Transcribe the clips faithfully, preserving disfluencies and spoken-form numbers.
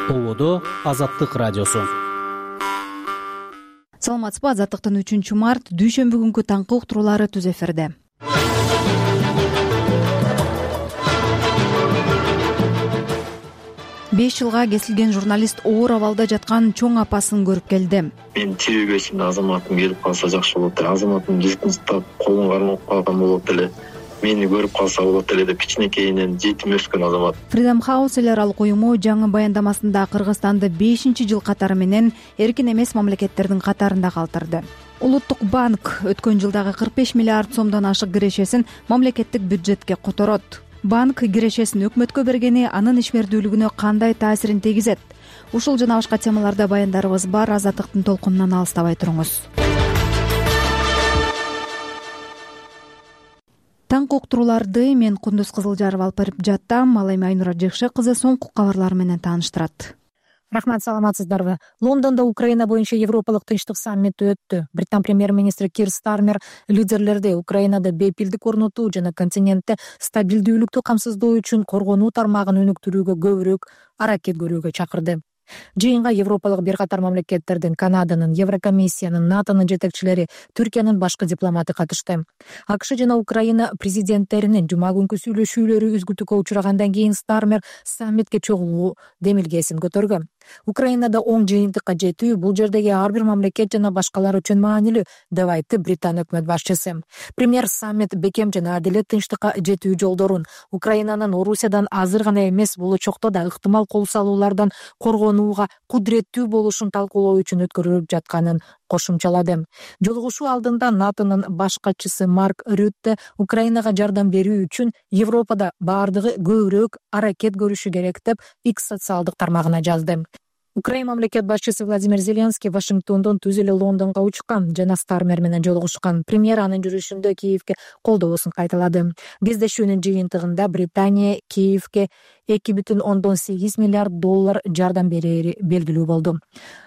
Ободо Азаттык радиосу. Саламатсызбы? Азаттыктын үчүнчү март дүйшөмбү күнкү таңкы уктуруулары түз эфирде. беш жылга кесилген журналист оор абалда жаткан чоң апасын көрүп келди. Мен тирүү бешимде азаматым келип калса жакшы болот эле. Азаматым жыртынчтап колун кармап калган болот эле. Мени көрүп калса болот эле деп кичинекейинен жетим өскөн азамат. Freedom House эл аралык уюму жаңы баяндамасында Кыргызстанды бешинчи жыл катары менен эркин эмес мамлекеттердин катарында калтырды. Улуттук банк өткөн жылдагы кырк беш миллиард сомдон ашык кирешесин мамлекеттик бюджетке которот. Банк кирешесин өкмөткө бергени анын ишмердүүлүгүнө кандай таасирин тийгизет? Ушул жана башка темаларда баяндарыбыз бар. Азаттыктын толкунунан алыстабай туруңуз. Таңкы уктурууларды мен Кундуз Кызылжаров алып барып жаттам. Ал эми Айнура Жекше кызы соңку кабарлар менен тааныштырат. Рахмат, саламатсыздарбы? Лондондо Украина боюнча Европалык тынчтык саммити өттү. Британ премьер-министри Кир Стармер лидерлерди Украинада бейпилдик орнотуу жана континентте стабилдүүлүктү камсыздоо үчүн коргонуу тармагын өнүктүрүүгө көбүрөөк аракет көрүүгө чакырды. Жыйынга Европалык бир катар мамлекеттердин, Канаданын, Еврокомиссиянын, НАТОнун жетекчилери, Түркиянын башкы дипломаты катышты. АКШ жана Украина президенттеринин жума күнкү сүйлөшүүлөрү үзгүлтүккө учурагандан кийин Стармер саммитке чогулуу демилгесин көтөргөн. Украинада оң жыйынтыкка жетүү бул жердеги ар бир мамлекет жана башкалар үчүн маанилүү деп айтты Британ өкмөт башчысы. Премьер саммит бекем жана адилет тынчтыкка жетүү жолдорун, Украинанын Орусиядан азыр гана эмес, болочокто да ыктымал кол салуулардан коргонууга кудуреттүү болушун талкуулоо үчүн өткөрүлүп жатканын кошумчалады. Жолугушуу алдында НАТОнун баш катчысы Марк Рютте Украинага жардам берүү үчүн Европада баардыгы көбүрөөк аракет көрүшү керек деп X социалдык тармагына жазды. Украина мамлекет башчысы Владимир Зеленский Вашингтондон түз эле Лондонго учкан жана Стармер менен жолугушкан. Премьер анын жүрүшүндө Киевге колдоосун кайталады. Кездешүүнүн жыйынтыгында Британия Киевге эки бүтүн ондон сегиз миллиард доллар жардам берери белгилүү болду.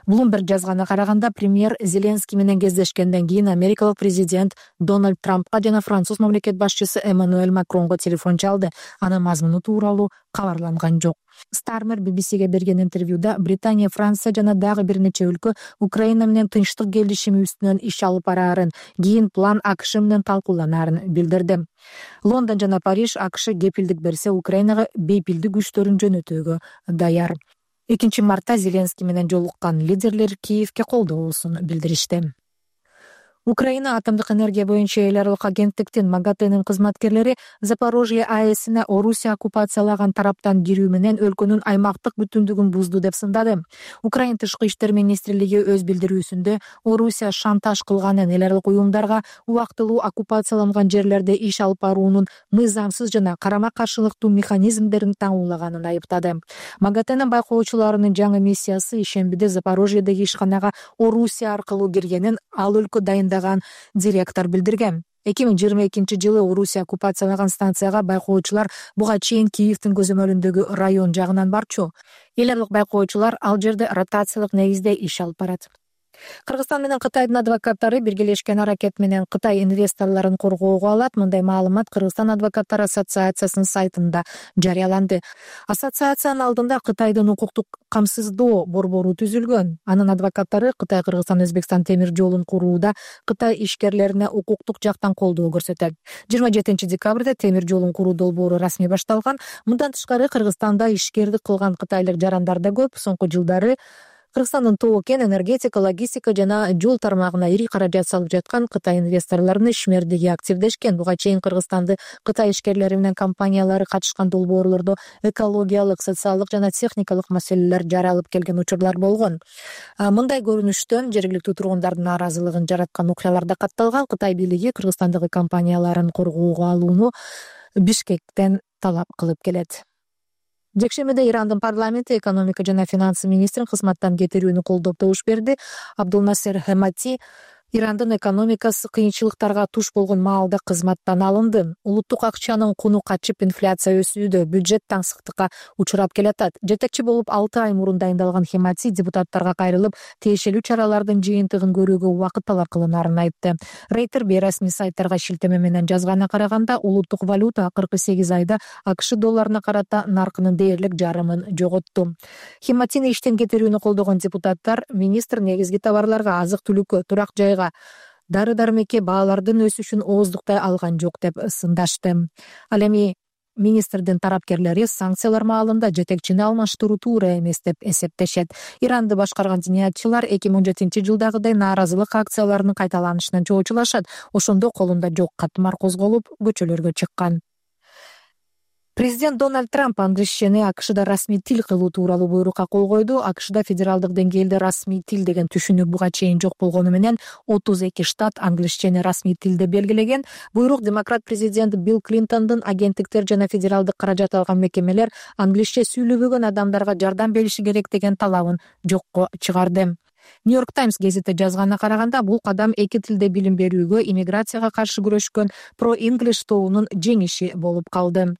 Bloomberg жазганына караганда, премьер Зеленский менен кездешкенден кийин америкалык президент Дональд Трампка жана француз мамлекет башчысы Эммануэль Макронго телефон чалды. Анын мазмуну тууралуу кабарланган жок. Стармер би би сиге берген интервьюда Британия, Франция жана дагы бир нече өлкө Украина менен тынчтык келишими үстүнөн иш алып бараарын, кийин план АКШ менен талкууланаарын билдирди. Лондон жана Париж АКШ кепилдик берсе, Украинага бейпилдик күчтөрүн жөнөтүүгө даяр. экинчи мартта Зеленский менен жолуккан лидерлер Киевге колдоосун билдиришти. Украина атомдук энергия боюнча эл аралык агенттиктин МАГАТЭнин кызматкерлери Запорожье АЭСине Орусия оккупациялаган тараптан кирүү менен өлкөнүн аймактык бүтүндүгүн бузду деп сындады. Украина тышкы иштер министрлиги өз билдирүүсүндө Орусия шантаж кылганын, эл аралык уюмдарга убактылуу оккупацияланган жерлерде иш алып баруунун мыйзамсыз жана карама-каршылыктуу механизмдерин таңуулаганын айыптады. МАГАТЭнин байкоочуларынын жаңы миссиясы ишембиде Запорожьедеги ишканага Орусия аркылуу киргенин ал өлкө дайын директор билдирген. эки миң жыйырма экинчи жылы Орусия оккупациялаган станцияга байкоочулар буга чейин Киевдин көзөмөлүндөгү район жагынан барчу. Эл аралык байкоочулар ал жерде ротациялык негизде иш алып барат. Кыргызстан менен Кытайдын адвокаттары биргелешкен аракет менен Кытай инвесторлорун коргоого алат. Мындай маалымат Кыргызстан адвокаттар ассоциациясынын сайтында жарыяланды. Ассоциациянын алдында Кытайдын укуктук камсыздоо борбору түзүлгөн. Анын адвокаттары Кытай, Кыргызстан, Өзбекстан темир жолун курууда Кытай ишкерлерине укуктук жактан колдоо көрсөтөт. жыйырма жетинчи декабрда темир жолун куруу долбоору расмий башталган. Мындан тышкары Кыргызстанда ишкердик кылган кытайлык жарандар да көп. Соңку жылдары Кыргызстандын тоо-кен, энергетика, логистика жана жол тармагына ири каражат салып жаткан Кытай инвесторлорунун ишмердиги активдешкен. Буга чейин Кыргызстанды Кытай ишкерлери менен компаниялары катышкан долбоорлордо экологиялык, социалдык жана техникалык маселелер жаралып келген учурлар болгон. Мындай көрүнүштөн жергиликтүү тургундардын нааразылыгын жараткан окуялар да катталган. Кытай бийлиги Кыргызстандагы компанияларын коргоого алууну Бишкектен талап кылып келет. Жекшемиде Ирандын парламенти экономика жана финансы министрин кызматтан кетирүүнү колдоп добуш берди. Абдулнасер Хемати Ирандын экономикасы кыйынчылыктарга туш болгон маалда кызматтан алынды. Улуттук акчанын куну качып, инфляция өсүүдө, бюджет таңсыктыкка учурап келатат. Жетекчи болуп алты ай мурун дайындалган Хемати депутаттарга кайрылып, тиешелүү чаралардын жыйынтыгын көрүүгө убакыт талап кылынаарын айтты. Рейтер бейрасмий сайттарга шилтеме менен жазганына караганда, улуттук валюта акыркы сегиз айда АКШ долларына карата наркынын дээрлик жарымын жоготту. Хематини иштен кетирүүнү колдогон депутаттар министр негизги товарларга, азык-түлүккө, турак жайга, дары-дармекке баалардын өсүшүн ооздуктай алган жок деп сындашты. Ал эми министрдин тарапкерлери санкциялар маалында жетекчини алмаштыруу туура эмес деп эсептешет. Иранды башкарган зиниятчылар эки миң он жетинчи жылдагыдай нааразылык акцияларынын кайталанышынан чоочулашат. Ошондо колунда жок катмар козголуп, көчөлөргө чыккан. Президент Дональд Трамп англисчени АКШда расмий тил кылуу тууралуу буйрукка кол койду. АКШда федералдык деңгээлде расмий тил деген түшүнүк буга чейин жок болгону менен отуз эки штат англисчени расмий тилде белгилеген. Буйрук демократ президент Билл Клинтондун агенттиктер жана федералдык каражат алган мекемелер англисче сүйлөбөгөн адамдарга жардам бериши керек деген талабын жокко чыгарды. Нью-Йорк Таймс гезити жазганына караганда, бул кадам эки тилде билим берүүгө иммиграцияга каршы күрөшкөн Pro English тобунун жеңиши болуп калды.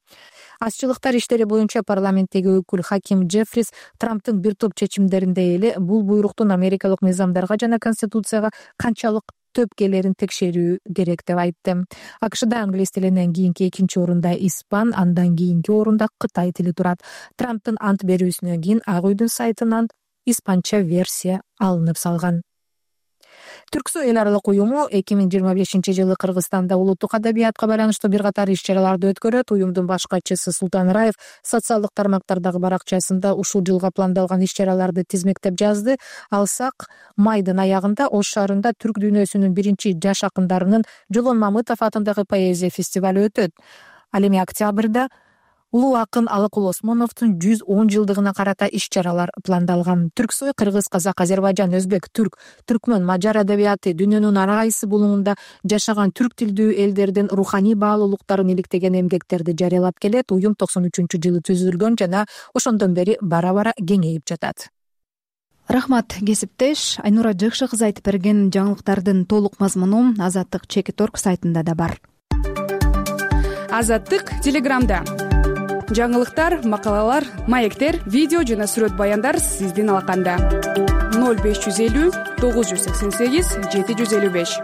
Азчылыктар иштери боюнча парламенттеги өкүл Хаким Джеффрис Трамптын бир топ чечимдеринде эле бул буйруктун Америкалык мыйзамдарга жана Конституцияга канчалык төпкелерин текшерүү керек деп айтты. АКШда англис тилинен кийинки экинчи орунда испан, андан кийинки орунда Кытай тили турат. Трамптын ант берүүсүнөн кийин Ак үйдүн сайтынан испанча версия алынып салган. Түрксой эл аралык уюму эки миң жыйырма бешинчи жылы Кыргызстанда улуттук адабиятка байланыштуу бир катар иш-чараларды өткөрөт. Уюмдун баш катчысы Султан Раев социалдык тармактардагы баракчасында ушул жылга пландалган иш-чараларды тизмектеп жазды. Алсак, майдын аягында Ош шаарында түрк дүйнөсүнүн биринчи жаш акындарынын Жолон Мамытов атындагы поэзия фестивалю өтөт. Ал эми октябрда улуу акын Алыкул Осмоновдун жүз он жылдыгына карата иш-чаралар пландалган. Түрксой кыргыз, казак, азербайжан, өзбек, түрк, түркмөн, мажар адабияты дүйнөнүн ар кайсы булуңунда жашаган түрк тилдүү элдердин руханий баалуулуктарын иликтеген эмгектерди жарыялап келет. Уюм токсон үчүнчү жылы түзүлгөн жана ошондон бери бара-бара кеңейип жатат. Рахмат, кесиптеш. Айнура Жыкшы кызы айтып берген жаңылыктардын толук мазмуну Азаттык Чекит точка орг сайтында да бар. Азаттык Телеграмда. Жаңылыктар, макалалар, маектер, видео жана сүрөт баяндар сиздин алаканда. ноль беш жүз элүү тогуз жүз сексен сегиз жети жүз элүү беш.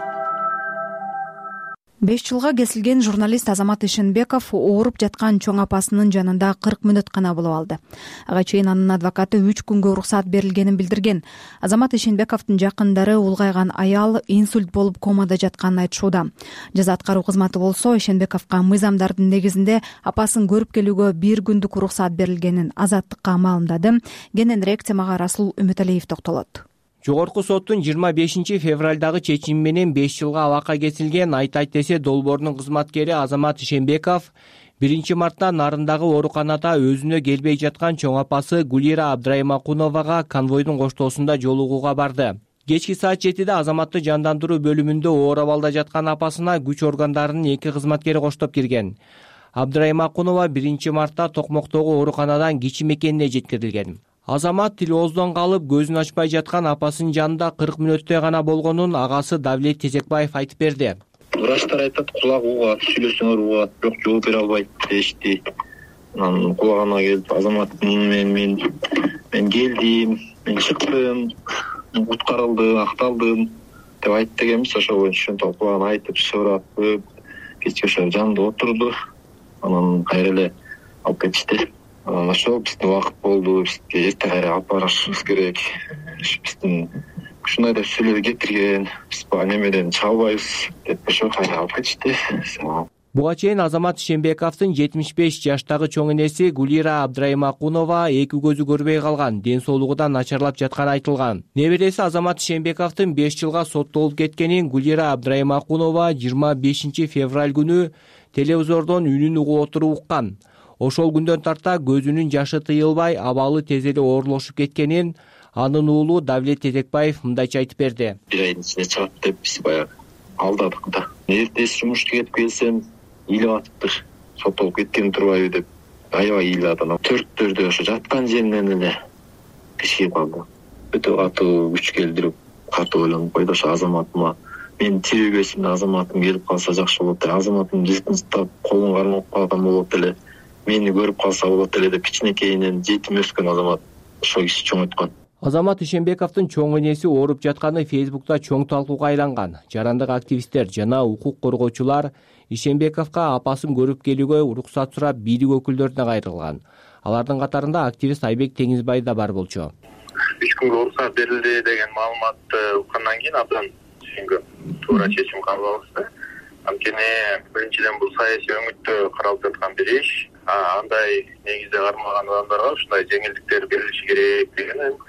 беш жылга кесилген журналист Азамат Ишенбеков ооруп жаткан чоң апасынын жанында кырк мүнөт гана болуп алды. Ага чейин анын адвокаты үч күнгө уруксат берилгенин билдирген. Азамат Ишенбековдун жакындары улгайган аял инсульт болуп комада жатканын айтышууда. Жаза аткаруу кызматы болсо Ишенбековго мыйзамдардын негизинде апасын көрүп келүүгө бир күндүк уруксат берилгенин Азаттыкка маалымдады. Кененирээк темага Расул Үмүталиев токтолот. Жогорку соттун жыйырма бешинчи февралдагы чечими менен беш жылга абакка кетилген Айт Айт десе долбоорунун кызматкери Азамат Ишенбеков биринчи мартта Нарындагы ооруканада өзүнө келбей жаткан чоң апасы Гулира Абдраймакуновага конвойдун коштоосунда жолугууга барды. Кечки саат жетиде Азаматты жандандыруу бөлүмүндө оор абалда жаткан апасына күч органдарынын эки кызматкери коштоп кирген. Абдраймакунова биринчи мартта Токмоктогу ооруканадан кичи мекенине жеткирилген. Азамат тил ооздон калып, көзүн ачпай жаткан апасынын жанында кырк мүнөттөй гана болгонун агасы Давлет Тезекбаев айтып берди. Врачтар айтат, кулак угат, сүйлөсөңөр угат, бирок жооп бере албайт дешти. Анан кулагына келип, Азамат мен мен мен келдим, мен чыктым, куткарылдым, акталдым деп айтты экенбиз. Ошо боюнча ошентип кулагына айтып, сурап, кечке ошо жанында отурду. Анан кайра эле алып кетишти. Ошол биздин убакыт болду, бизге эрте кайра алып барышыбыз керек. Биздин ушундай деп сүйлөп кетирген, биз бул немеден чыга албайбыз деп ошо кайра алып кетишти. Буга чейин Азамат Ишенбековдун жетимиш беш жаштагы чоң энеси Гулира Абдраймакунова эки көзү көрбөй калган, ден соолугудан начарлап жатканы айтылган. Небереси Азамат Ишенбековдун беш жылга соттолуп кеткенин Гулира Абдраймакунова жыйырма бешинчи февраль күнү телевизордон үнүн угуп отуруп уккан. Ошол күндөн тарта көзүнүн жашы тыйылбай, абалы тез эле оорлошуп кеткенин анын уулу Давлет Тезекбаев мындайча айтып берди. Бир айдын ичинде чыгат деп биз баягы алдадык да. Эртеси жумушка кетип келсем, ыйлап атыптыр. Соттолуп кеткен турбайбы деп аябай ыйлады. Төрттөрдө ошо жаткан жеринен эле кичип калды. Өтө катуу күч келтирип, катуу ойлонуп койду. Ошо Азаматыма мен тирүүгө азаматым келип калса жакшы болот эле, азаматым жытынчтап колун кармап калган болот эле, мени көрүп калса болот эле деп кичинекейинен жетим өскөн азамат ошол киши чоңойткон. Азамат Ишенбековдун чоң энеси ооруп жатканы Фейсбукта чоң талкууга айланган. Жарандык активисттер жана укук коргоочулар Ишенбековго апасын көрүп келүүгө уруксат сурап бийлик өкүлдөрүнө кайрылган. Алардын катарында активист Айбек Теңизбай да бар болчу. Үч күнгө уруксат берилди деген маалыматты уккандан кийин абдан түшүнгөм. Туура чечим кабыл алышты. Анткени биринчиден бул саясий өңүттө каралып жаткан бир иш, андай негизде кармалган адамдарга ушундай жеңилдиктер берилиши керек деген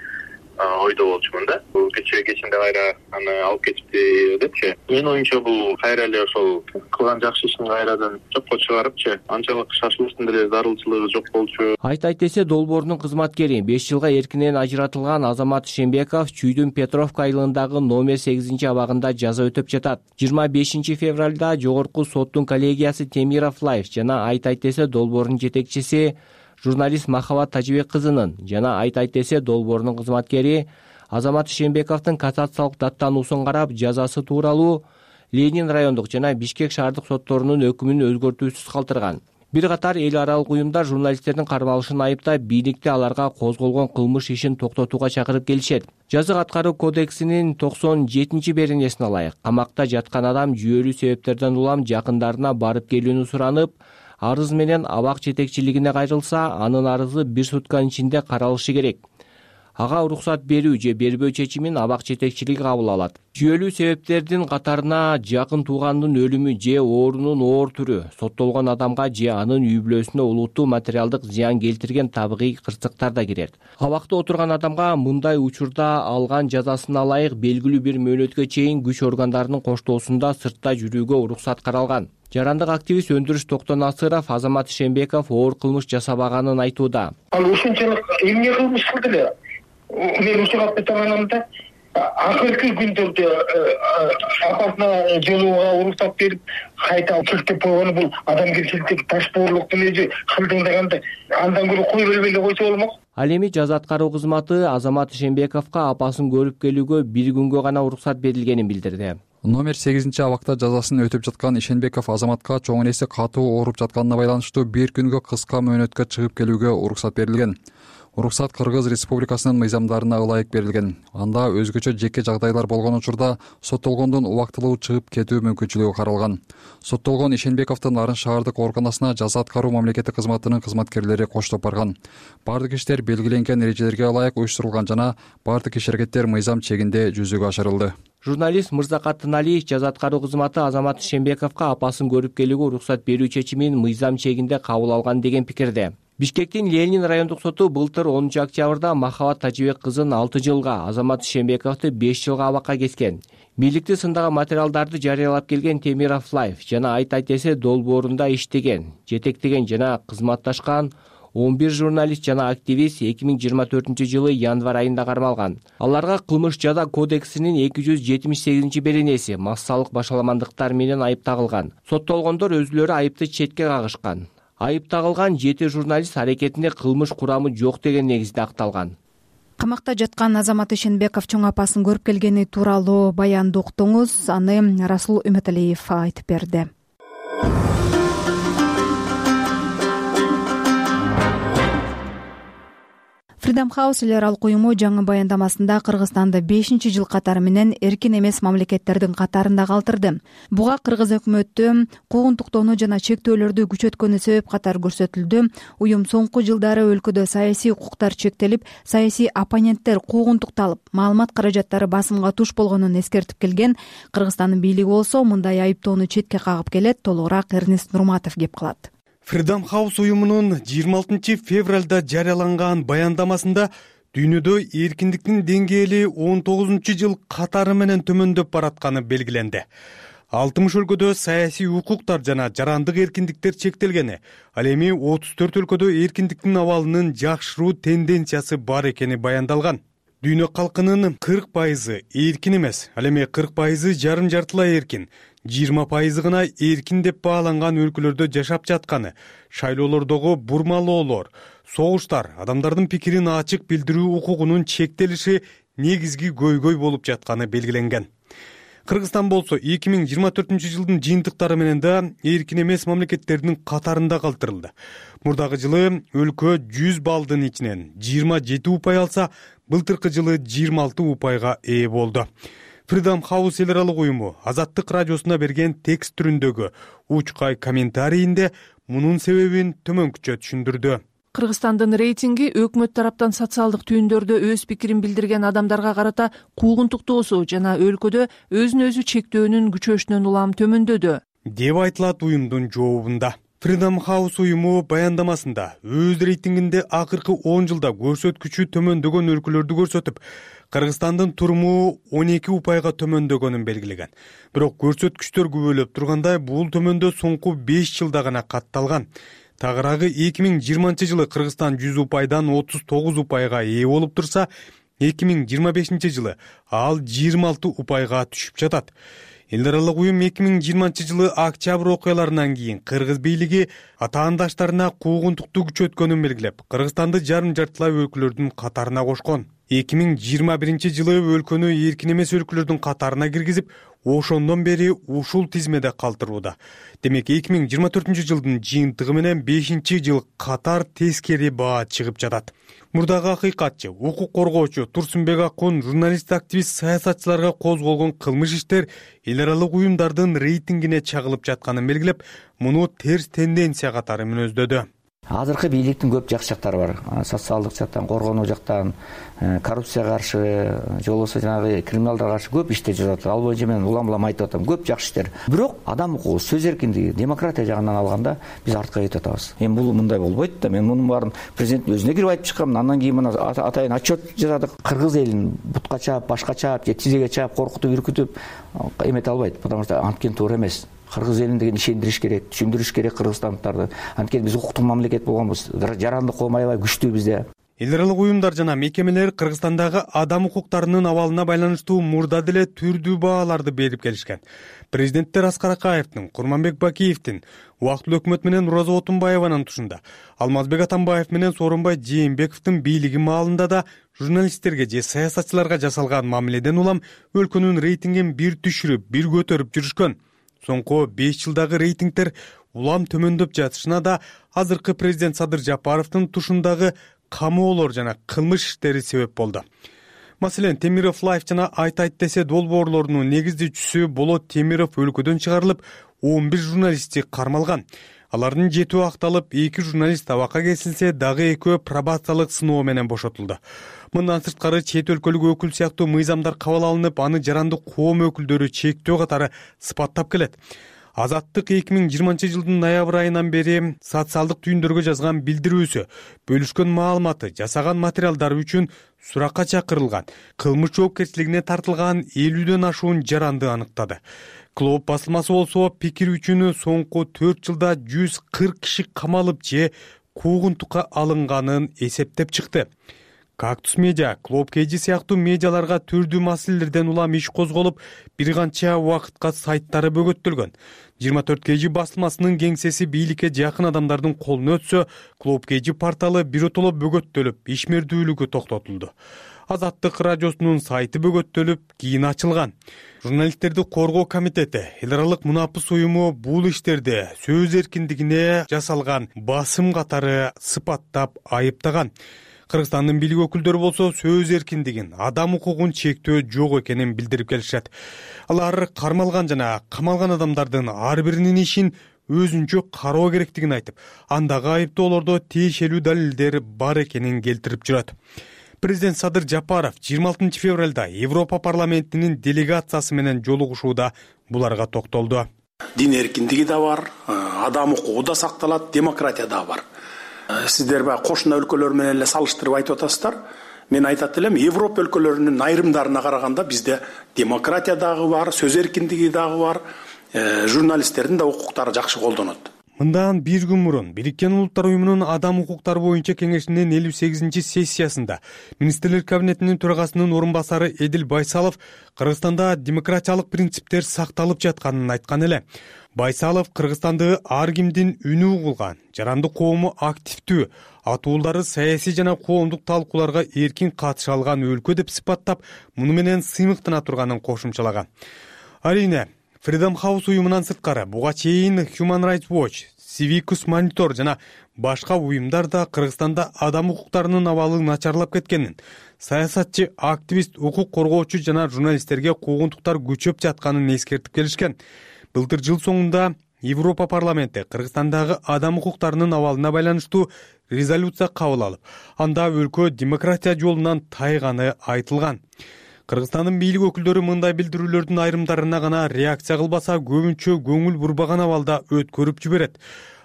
ойдо болчумун да. Бул кечээ кечинде кайра аны алып кетипти депчи. Менин оюмча бул кайра эле ошол кылган жакшы ишин кайрадан жокко чыгарыпчы, анчалык шашылыштын деле зарылчылыгы жок болчу. Айта айтесе долбоордун кызматкери беш жылга эркинен ажыратылган Азамат Ишенбеков Чүйдүн Петровка айылындагы номер сегизинчи абагында жаза өтөп жатат. жыйырма бешинчи февралда жогорку соттун коллегиясы Темиров Лайф жана Айта айтесе долбоорунун жетекчиси журналист Махабат Тажибек кызынын жана Айта айтесе долбоорунун кызматкери Азамат Ишенбековдун кассациялык даттануусун карап жазасы тууралуу Ленин райондук жана Бишкек шаардык сотторунун өкүмүн өзгөртүүсүз калтырган. Бир катар эл аралык уюмдар журналисттердин кармалышын айыптап, бийликти аларга козголгон кылмыш ишин токтотууга чакырып келишет. Жазык аткаруу кодексинин токсон жетинчи беренесине ылайык камакта жаткан адам жүйөлүү себептерден улам жакындарына барып келүүнү суранып, арыз менен абак жетекчилигине кайрылса, анын арызы бир сутканын ичинде каралышы керек. Ага уруксат берүү же бербөө чечимин абак жетекчилиги кабыл алат. Жүйөлүү себептердин катарына жакын туугандын өлүмү же оорунун оор түрү, соттолгон адамга же анын үй бүлөсүнө улуттуу материалдык зыян келтирген табигый кырсыктар да кирет. Абакта отурган адамга мындай учурда алган жазасына ылайык белгилүү бир мөөнөткө чейин күч органдарынын коштоосунда сыртта жүрүүгө уруксат каралган. Жарандык активист Өндүрүш Токтонасыров Азамат Ишенбеков оор кылмыш жасабаганын айтууда. Ал ушунчалык эмне кылмыш кылды эле? Мен ушуга айтаманда, акыркы күндөрдө апасына жолууга уруксат берип, кайта келтип койгону бул адамгерчиликтеги ташбоорлуктун өзү кылдыңдаганда андан көрө кой бербей эле койсо болмок. Ал эми жаза аткаруу кызматы Азамат Ишенбековго апасын көрүп келүүгө бир күнгө гана уруксат берилгенин билдирди. Номер сегизинчи абакта жазасын өтөп жаткан Ишенбеков Азаматка чоң энеси катуу ооруп жатканына байланыштуу бир күнгө кыска мөөнөткө чыгып келүүгө уруксат берилген. Уруксат Кыргыз Республикасынын мыйзамдарына ылайык берилген. Анда өзгөчө жеке жагдайлар болгон учурда соттолгондун убактылуу чыгып кетүү мүмкүнчүлүгү каралган. Соттолгон Ишенбековдун Нарын шаардык ооруканасына жаза аткаруу мамлекеттик кызматынын кызматкерлери коштоп барган. Бардык иштер белгиленген эрежелерге ылайык уюштурулган жана бардык иш-аракеттер мыйзам чегинде жүзөгө ашырылды. Журналист Мырзакат Тыналиев жаза аткаруу кызматы Азамат Ишенбековго апасын көрүп келүүгө уруксат берүү чечимин мыйзам чегинде кабыл алган деген пикирде. Бишкектин Ленин райондук соту былтыр онунчу октябрда Махабат Тажибек кызын алты жылга, Азамат Ишенбековду беш жылга абакка кескен. Бийликти сындаган материалдарды жарыялап келген Темиров Лайф жана Айта айтесе долбоорунда иштеген, жетектеген жана кызматташкан он бир журналист жана активист эки миң жыйырма төртүнчү жылы январь айында кармалган. Аларга кылмыш жаза кодексинин эки жүз жетимиш сегизинчи беренеси массалык башаламандыктар менен айып тагылган. Соттолгондор өзүлөрү айыпты четке кагышкан. Айып тагылган жети журналист аракетинде кылмыш курамы жок деген негизде акталган. Камакта жаткан Азамат Ишенбеков чоң апасын көрүп келгени тууралуу баянды уктуңуз. Аны Расул Үмөталиев айтып берди. Freedom House эл аралык уюму жаңы баяндамасында Кыргызстанды бешинчи жыл катары менен эркин эмес мамлекеттердин катарында калтырды. Буга кыргыз өкмөтү куугунтуктоону жана чектөөлөрдү күчөткөнү себеп катары көрсөтүлдү. Уюм соңку жылдары өлкөдө саясий укуктар чектелип, саясий оппоненттер куугунтукталып, маалымат каражаттары басымга туш болгонун эскертип келген. Кыргызстандын бийлиги болсо мындай айыптоону четке кагып келет. Толугураак Эрнест Нурматов кеп калат. Freedom House уюмунун жыйырма алтынчы февралда жарыяланган баяндамасында дүйнөдө эркиндиктин деңгээли он тогузунчу жыл катары менен төмөндөп баратканы белгиленди. алтымыш өлкөдө саясий укуктар жана жарандык эркиндиктер чектелгени, ал эми отуз төрт өлкөдө эркиндиктин абалынын жакшыруу тенденциясы бар экени баяндалган. Дүйнө калкынын кырк пайызы эркин эмес, ал эми кырк пайызы жарым жартылай эркин, жыйырма пайызы гана эркин деп бааланган өлкөлөрдө жашап жатканы, шайлоолордогу бурмалоолор, согуштар, адамдардын пикирин ачык билдирүү укугунун чектелиши негизги көйгөй болуп жатканы белгиленген. Кыргызстан болсо эки миң жыйырма төртүнчү жылдын жыйынтыктары менен да эркин эмес мамлекеттердин катарында калтырылды. Мурдагы жылы өлкө жүз баллдын ичинен жыйырма жети упай алса, былтыркы жылы жыйырма алты упайга ээ болду. Freedom House эл аралык уюму Азаттык радиосуна берген текст түрүндөгү учкай комментарийинде мунун себебин төмөнкүчө түшүндүрдү. Кыргызстандын рейтинги өкмөт тараптан социалдык түйүндөрдө өз пикирин билдирген адамдарга карата куугунтуктоосу жана өлкөдө өзүн өзү чектөөнүн күчөшүнөн улам төмөндөдү деп айтылат уюмдун жообунда. Freedom House уюму баяндамасында өз рейтингинде акыркы он жылда көрсөткүчү төмөндөгөн өлкөлөрдү көрсөтүп, Кыргызстандын туруму он эки упайга төмөндөгөнүн белгилеген. Бирок көрсөткүчтөр күбөлөп тургандай, бул төмөндөө соңку беш жылда гана катталган. Тагыраагы эки миң жыйырманчы жылы Кыргызстан жүз упайдан отуз тогуз упайга ээ болуп турса, эки миң жыйырма бешинчи жылы ал жыйырма алты упайга түшүп жатат. Эл аралык уюм эки миң жыйырманчы жылы октябрь окуяларынан кийин кыргыз бийлиги атаандаштарына куугунтукту күчөткөнүн белгилеп, Кыргызстанды жарым жартылай өлкөлөрдүн катарына кошкон. эки миң жыйырма биринчи жылы өлкөнү эркин эмес өлкөлөрдүн катарына киргизип, ошондон бери ушул тизмеде калтырууда. Демек, эки миң жыйырма төртүнчү жылдын жыйынтыгы менен бешинчи жыл катар тескери баа чыгып жатат. Мурдагы акыйкатчы, укук коргоочу Турсунбек Акун журналист-активист саясатчыларга козголгон кылмыш иштер эл аралык уюмдардын рейтингине чагылып жатканын белгилеп, муну терс тенденция катары мүнөздөдү. Азыркы бийликтин көп жакшы жактары бар. Социалдык жактан, коргонуу жактан, коррупцияга каршы, же болбосо жанагы криминалдарга каршы көп иштер жасап, ал боюнча мен улам-улам айтып атам, көп жакшы иштер. Бирок адам укугу, сөз эркиндиги, демократия жагынан алганда биз артка кетип атабыз. Эми бул мындай болбойт да. Мен мунун баарын президенттин өзүнө кирип айтып чыккам. Андан кийин мына атайын отчет жасадык. Кыргыз элин бутка чаап, башка чаап, же тизеге чаап, коркутуп, үркүтүп эмете албайт. Потому что анткен туура эмес. Кыргыз элин деген ишендириш керек, түшүндүрүш керек кыргызстандыктарды. Анткени биз укуктук мамлекет болгонбуз. Жарандык ком аябай күчтүү бизде. Эл аралык уюмдар жана мекемелер Кыргызстандагы адам укуктарынын абалына байланыштуу мурда деле түрдүү бааларды берип келишкен. Президенттер Аскар Акаевдин, Курманбек Бакиевдин, убактылуу өкмөт менен Роза Отунбаеванын тушунда, Алмазбек Атамбаев менен Сооронбай Жээнбековдун бийлиги маалында да журналисттерге же саясатчыларга жасалган мамиледен улам өлкөнүн рейтингин бир түшүрүп, бир көтөрүп жүрүшкөн. Соңку беш жылдагы рейтингдер улам төмөндөп жатышына да азыркы президент Садыр Жапаровдун тушундагы камоолор жана кылмыш иштери себеп болду. Маселен, Темиров Лайф жана Айт айт десе долбоорлорунун негиздөөчүсү Болот Темиров өлкөдөн чыгарылып, он бир журналисти кармалган. Алардын жетөө акталып, эки журналист абакка кесилсе, дагы экөө пробациялык сыноо менен бошотулду. Мындан сырткары чет өлкөлүк өкүл сыяктуу мыйзамдар кабыл алынып, аны жарандык коом өкүлдөрү чектөө катары сыпаттап келет. Азаттык эки миң жыйырманчы жылдын ноябрь айынан бери социалдык түйүндөргө жазган билдирүүсү, бөлүшкөн маалыматы, жасаган материалдары үчүн суракка чакырылган, кылмыш жоопкерчилигине тартылган элүүдөн ашуун жаранды аныктады. Клоп басылмасы болсо пикир үчүн соңку төрт жылда жүз кырк киши камалып же куугунтукка алынганын эсептеп чыкты. Кактус медиа, Клоп Кж сыяктуу медиаларга түрдүү маселелерден улам иш козголуп, бир канча убакытка сайттары бөгөттөлгөн. жыйырма төрт Кж басылмасынын кеңсеси бийликке жакын адамдардын колуна өтсө, Клоп Кж порталы биротоло бөгөттөлүп, ишмердүүлүгү токтотулду. Азаттык радиосунун сайты бөгөттөлүп, кийин ачылган. Журналисттерди коргоо комитети, эл аралык мунапыс уюму бул иштерди сөз эркиндигине жасалган басым катары сыпаттап айыптаган. Кыргызстандын бийлик өкүлдөрү болсо сөз эркиндигин, адам укугун чектөө жок экенин билдирип келишет. Алар кармалган жана камалган адамдардын ар биринин ишин өзүнчө кароо керектигин айтып, андагы айыптоолордо тиешелүү далилдер бар экенин келтирип жүрөт. Президент Садыр Жапаров жыйырма алтынчы февралда Европа парламентинин делегациясы менен жолугушууда буларга токтолду. Дин эркиндиги да бар, адам укугу да сакталат, демократия да бар. Сиздер баягы кошуна өлкөлөр менен эле салыштырып айтып атасыздар. Мен айтат элем, Европа өлкөлөрүнүн айрымдарына караганда бизде демократия дагы бар, сөз эркиндиги дагы бар, журналисттердин да укуктары жакшы колдонот. Мындан бир күн мурун Бириккен Улуттар уюмунун адам укуктары боюнча кеңешинин элүү сегизинчи сессиясында министрлер кабинетинин төрагасынын орун басары Эдил Байсалов Кыргызстанда демократиялык принциптер сакталып жатканын айткан эле. Байсалов Кыргызстанды ар кимдин үнү угулган, жарандык коому активдүү, атуулдары саясий жана коомдук талкууларга эркин катыша алган өлкө деп сыпаттап, муну менен сыймыктана турганын кошумчалаган. Арийне Freedom House уюмунан сырткары буга чейин Human Rights Watch, Civicus Monitor жана башка уюмдар да Кыргызстанда адам укуктарынын абалы начарлап кеткенин, саясатчы, активист, укук коргоочу жана журналисттерге куугунтуктар күчөп жатканын эскертип келишкен. Былтыр жыл соңунда Европа парламенти Кыргызстандагы адам укуктарынын абалына байланыштуу резолюция кабыл алып, анда өлкө демократия жолунан тайганы айтылган. Кыргызстандын бийлик өкүлдөрү мындай билдирүүлөрдүн айрымдарына гана реакция кылбаса, көбүнчө көңүл бурбаган абалда өткөрүп жиберет.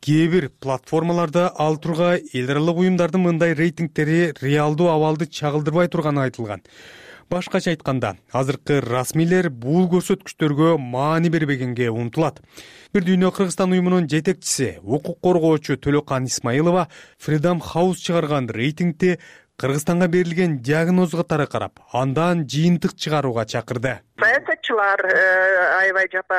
Кээ бир платформаларда ал турга эл аралык уюмдардын мындай рейтингтери реалдуу абалды чагылдырбай турганы айтылган. Башкача айтканда, азыркы расмийлер бул көрсөткүчтөргө маани бербегенге умтулат. Бир дүйнө Кыргызстан уюмунун жетекчиси, укук коргоочу Төлөкан Исмаилова Freedom House чыгарган рейтингти Кыргызстанга берилген диагноз катары карап, андан жыйынтык чыгарууга чакырды. Саясатчылар аябай жапа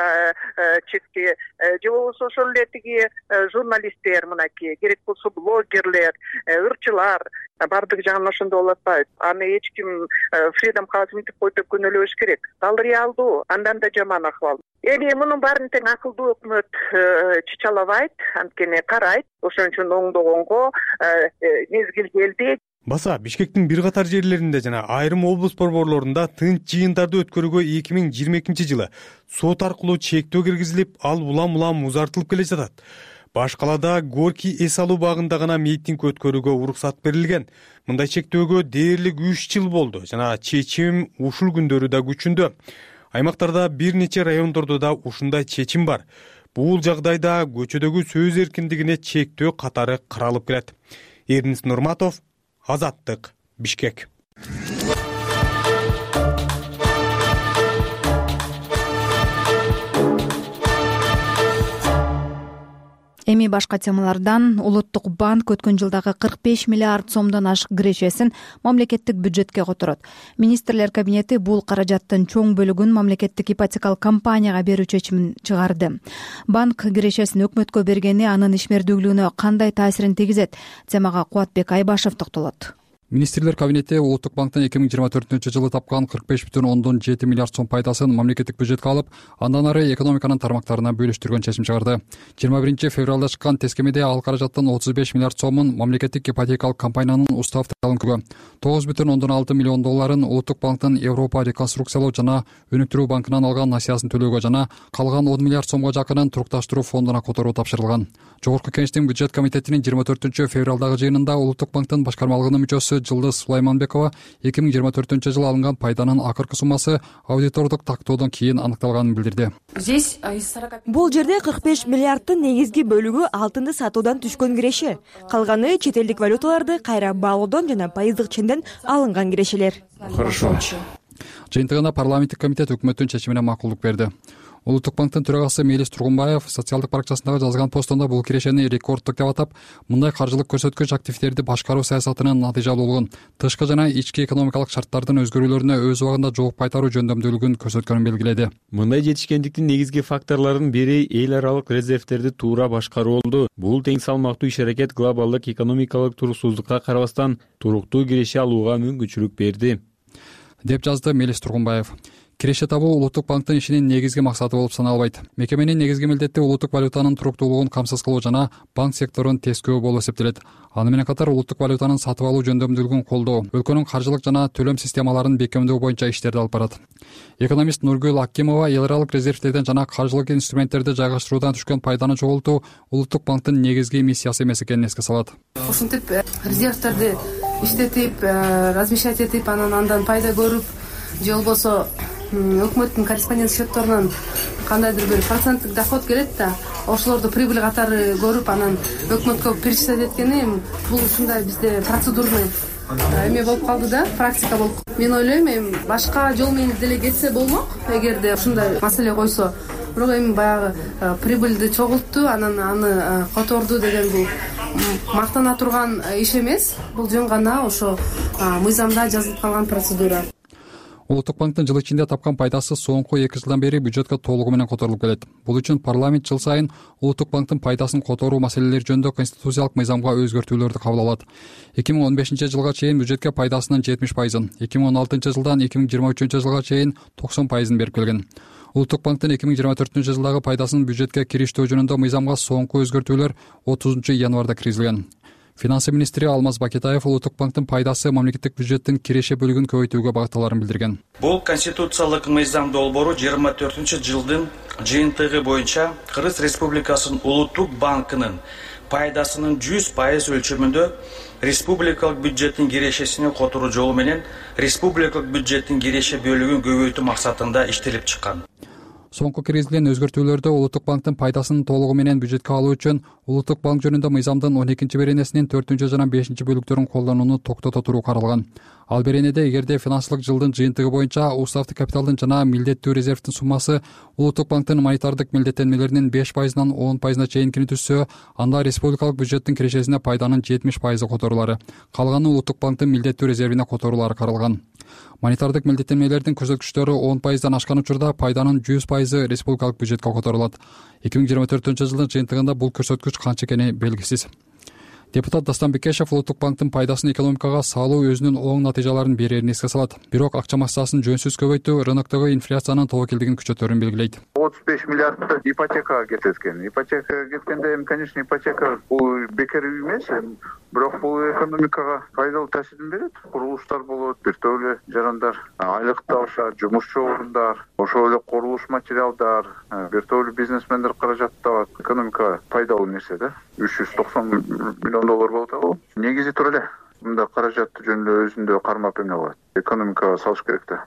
чекти, же болбосо ошол эле тиги журналисттер, мынакей керек болсо блогерлер, ырчылар бардыгы жагынан ошондой болуп атпайбы. Аны эч ким Freedom House мынтип койуп күнөөлөбөш керек. Ал реалдуу, андан да жаман акыбал. Эми мунун баарын тең акылдуу өкмөт чычалабайт, анткени карайт. Ошон үчүн оңдогонго мезгил келди. Баса Бишкектин бир катар жерлеринде жана айрым облус борборлорунда тынч жыйындарды өткөрүүгө эки миң жыйырма экинчи жылы сот аркылуу чектөө киргизилип, ал улам-улам узартылып келе жатат. Баш калаада Горький эс алуу багында гана митинг өткөрүүгө уруксат берилген. Мындай чектөөгө дээрлик үч жыл болду жана чечим ушул күндөрү да күчүндө. Аймактарда бир нече райондордо да ушундай чечим бар. Бул жагдайда көчөдөгү сөз эркиндигине чектөө катары каралып келет. Эрнис Нурматов, Азаттык, Бишкек. Эми башка темалардан. Улуттук банк өткөн жылдагы кырк беш миллиард сомдон ашык кирешесин мамлекеттик бюджетке которот. Министрлер кабинети бул каражаттын чоң бөлүгүн мамлекеттик ипотекалык компанияга берүү чечимин чыгарды. Банк кирешесин өкмөткө бергени анын ишмердүүлүгүнө кандай таасирин тийгизет? Темага Кубатбек Айбашев токтолот. Министрлер кабинети Улуттук банктын эки миң жыйырма төртүнчү жылы тапкан кырк беш бүтүн ондон жети миллиард сом пайдасын мамлекеттик бюджетке алып, андан ары экономиканын тармактарына бөлүштүргөн чечим чыгарды. жыйырма биринчи февралда чыккан тескемеде ал каражаттын отуз беш миллиард сомун мамлекеттик ипотекалык компаниянын устав талонкөгө, тогуз бүтүн ондон алты миллион долларын Улуттук банктын Европа реконструкциялоо жана өнүктүрүү банкынан алган насыясын төлөөгө жана калган он миллиард сомго жакынын турукташтыруу фондуна которуу тапшырылган. Жогорку Кеңештин бюджет комитетинин жыйырма төртүнчү февралдагы жыйынында Улуттук банктын башкармалыгынын мүчөсү Жылдыз Сулайманбекова эки миң жыйырма төртүнчү жылы алынган пайданын акыркы суммасы аудитордук тактоодон кийин аныкталганын билдирди. Бул жерде кырк беш миллиарддын негизги бөлүгү алтынды сатуудан түшкөн киреше. Калганы чет элдик валюталарды кайра баалоодон жана пайыздык ченден алынган кирешелер. Хорошо. Жыйынтыгында парламенттик комитет өкмөттүн чечимине макулдук берди. Улуттук банктын төрагасы Мелис Тургунбаев социалдык баракчасындагы жазган постунда бул кирешени рекорддук деп атап, мындай каржылык көрсөткүч активдерди башкаруу саясатынын натыйжалуулугун, тышкы жана ички экономикалык шарттардын өзгөрүүлөрүнө өз убагында жооп кайтаруу жөндөмдүүлүгүн көрсөткөнүн белгиледи. Мындай жетишкендиктин негизги факторлорунун бири эл аралык резервтерди туура башкаруу болду. Бул тең салмактуу иш-аракет глобалдык экономикалык туруксуздукка карабастан туруктуу киреше алууга мүмкүнчүлүк берди, деп жазды Мелис Тургунбаев. Киреше табуу Улуттук банктын ишинин негизги максаты болуп саналбайт. Мекеменин негизги милдети улуттук валютанын туруктуулугун камсыз кылуу жана банк секторун тескөө болуп эсептелет. Аны менен катар улуттук валютанын сатып алуу жөндөмдүүлүгүн колдоо, өлкөнүн каржылык жана төлөм системаларын бекемдөө боюнча иштерди алып барат. Экономист Нургүл Акимова эл аралык резервтерден жана каржылык инструменттерди жайгаштыруудан түшкөн пайданы чогултуу Улуттук банктын негизги миссиясы эмес экенин эске салат. Ушинтип резервтерди иштетип, размещать этип, анан андан пайда көрүп, же болбосо өкмөттүн корреспондент счетторунан кандайдыр бир проценттик доход келет да, ошолорду прибыль катары көрүп, анан өкмөткө перечислять эткени бул ушундай бизде процедурный эме болуп калды да, практика болуп. Мен ойлойм, эми башка жол менен деле кетсе болмок, эгерде ушундай маселе койсо. Бирок эми баягы прибыльди чогултту, анан аны которду деген бул мактана турган иш эмес. Бул жөн гана ошо мыйзамда жазылып калган процедура. Улуттук банктын жыл ичинде тапкан пайдасы соңку эки жылдан бери бюджетке толугу менен которулуп келет. Бул үчүн парламент жыл сайын Улуттук банктын пайдасын которуу маселелери жөнүндө конституциялык мыйзамга өзгөртүүлөрдү кабыл алат. эки миң он бешинчи жылга чейин бюджетке пайдасынын жетимиш пайызын, эки миң он алтынчы жылдан эки миң жыйырма үчүнчү жылга чейин токсон пайызын берип келген. Улуттук банктын эки миң жыйырма төртүнчү жылдагы пайдасын бюджетке кириштөө жөнүндө мыйзамга соңку өзгөртүүлөр отузунчу январда киргизилген. Финансы министри Алмаз Бакетаев Улуттук банктын пайдасы мамлекеттик бюджеттин киреше бөлүгүн көбөйтүүгө багытталарын билдирген. Бул конституциялык мыйзам долбоору жыйырма төртүнчү жылдын жыйынтыгы боюнча Кыргыз Республикасынын Улуттук банкынын пайдасынын жүз пайыз өлчөмүндө республикалык бюджеттин кирешесине которуу жолу менен республикалык бюджеттин киреше бөлүгүн көбөйтүү максатында иштелип чыккан. Соңку киргизилген өзгөртүүлөрдө Улуттук банктын пайдасын толугу менен бюджетке алуу үчүн Улуттук банк жөнүндө мыйзамдын он экинчи беренесинин төртүнчү жана бешинчи бөлүктөрүн колдонууну токтото туруу каралган. Ал беренеде эгерде финансылык жылдын жыйынтыгы боюнча уставдык капиталдын жана милдеттүү резервдин суммасы Улуттук банктын монетардык милдеттенмелеринин беш пайызынан он пайызына чейинкини түзсө, анда республикалык бюджеттин кирешесине пайданын жетимиш пайызы которулары, калганы Улуттук банктын милдеттүү резервине которулары каралган. Монетардык милдеттенмелердин көрсөткүчтөрү он пайыздан ашкан учурда пайданын жүз пайызы республикалык бюджетке которулат. эки миң жыйырма төртүнчү жылдын жыйынтыгында бул көрсөткүч канча экени белгисиз. Депутат Дастан Бекешев Улуттук банктын пайдасын экономикага салуу өзүнүн оң натыйжаларын берерин эске салат. Бирок акча массасын жөнсүз көбөйтүү рыноктогу инфляциянын тобокелдигин күчөтөрүн белгилейт. отуз беш миллиардты ипотекага кеткен. Ипотекага кеткенде эми, конечно, ипотека бул бекер үй эмес, бирок бул экономикага пайдалуу таасирин берет. Курулуштар болот, биртөө эле жарандар айлыкты алышат, жумушчу орундар, ошол эле курулуш материалдар, биртөө эле бизнесмендер каражат табат. Экономикага пайдалуу нерсе да. үч жүз токсон миллион доллар болот ал. Негизи тура эле мында каражатты жөнүндө өзүндө кармап эмне кылат. Экономикага салыш керек да.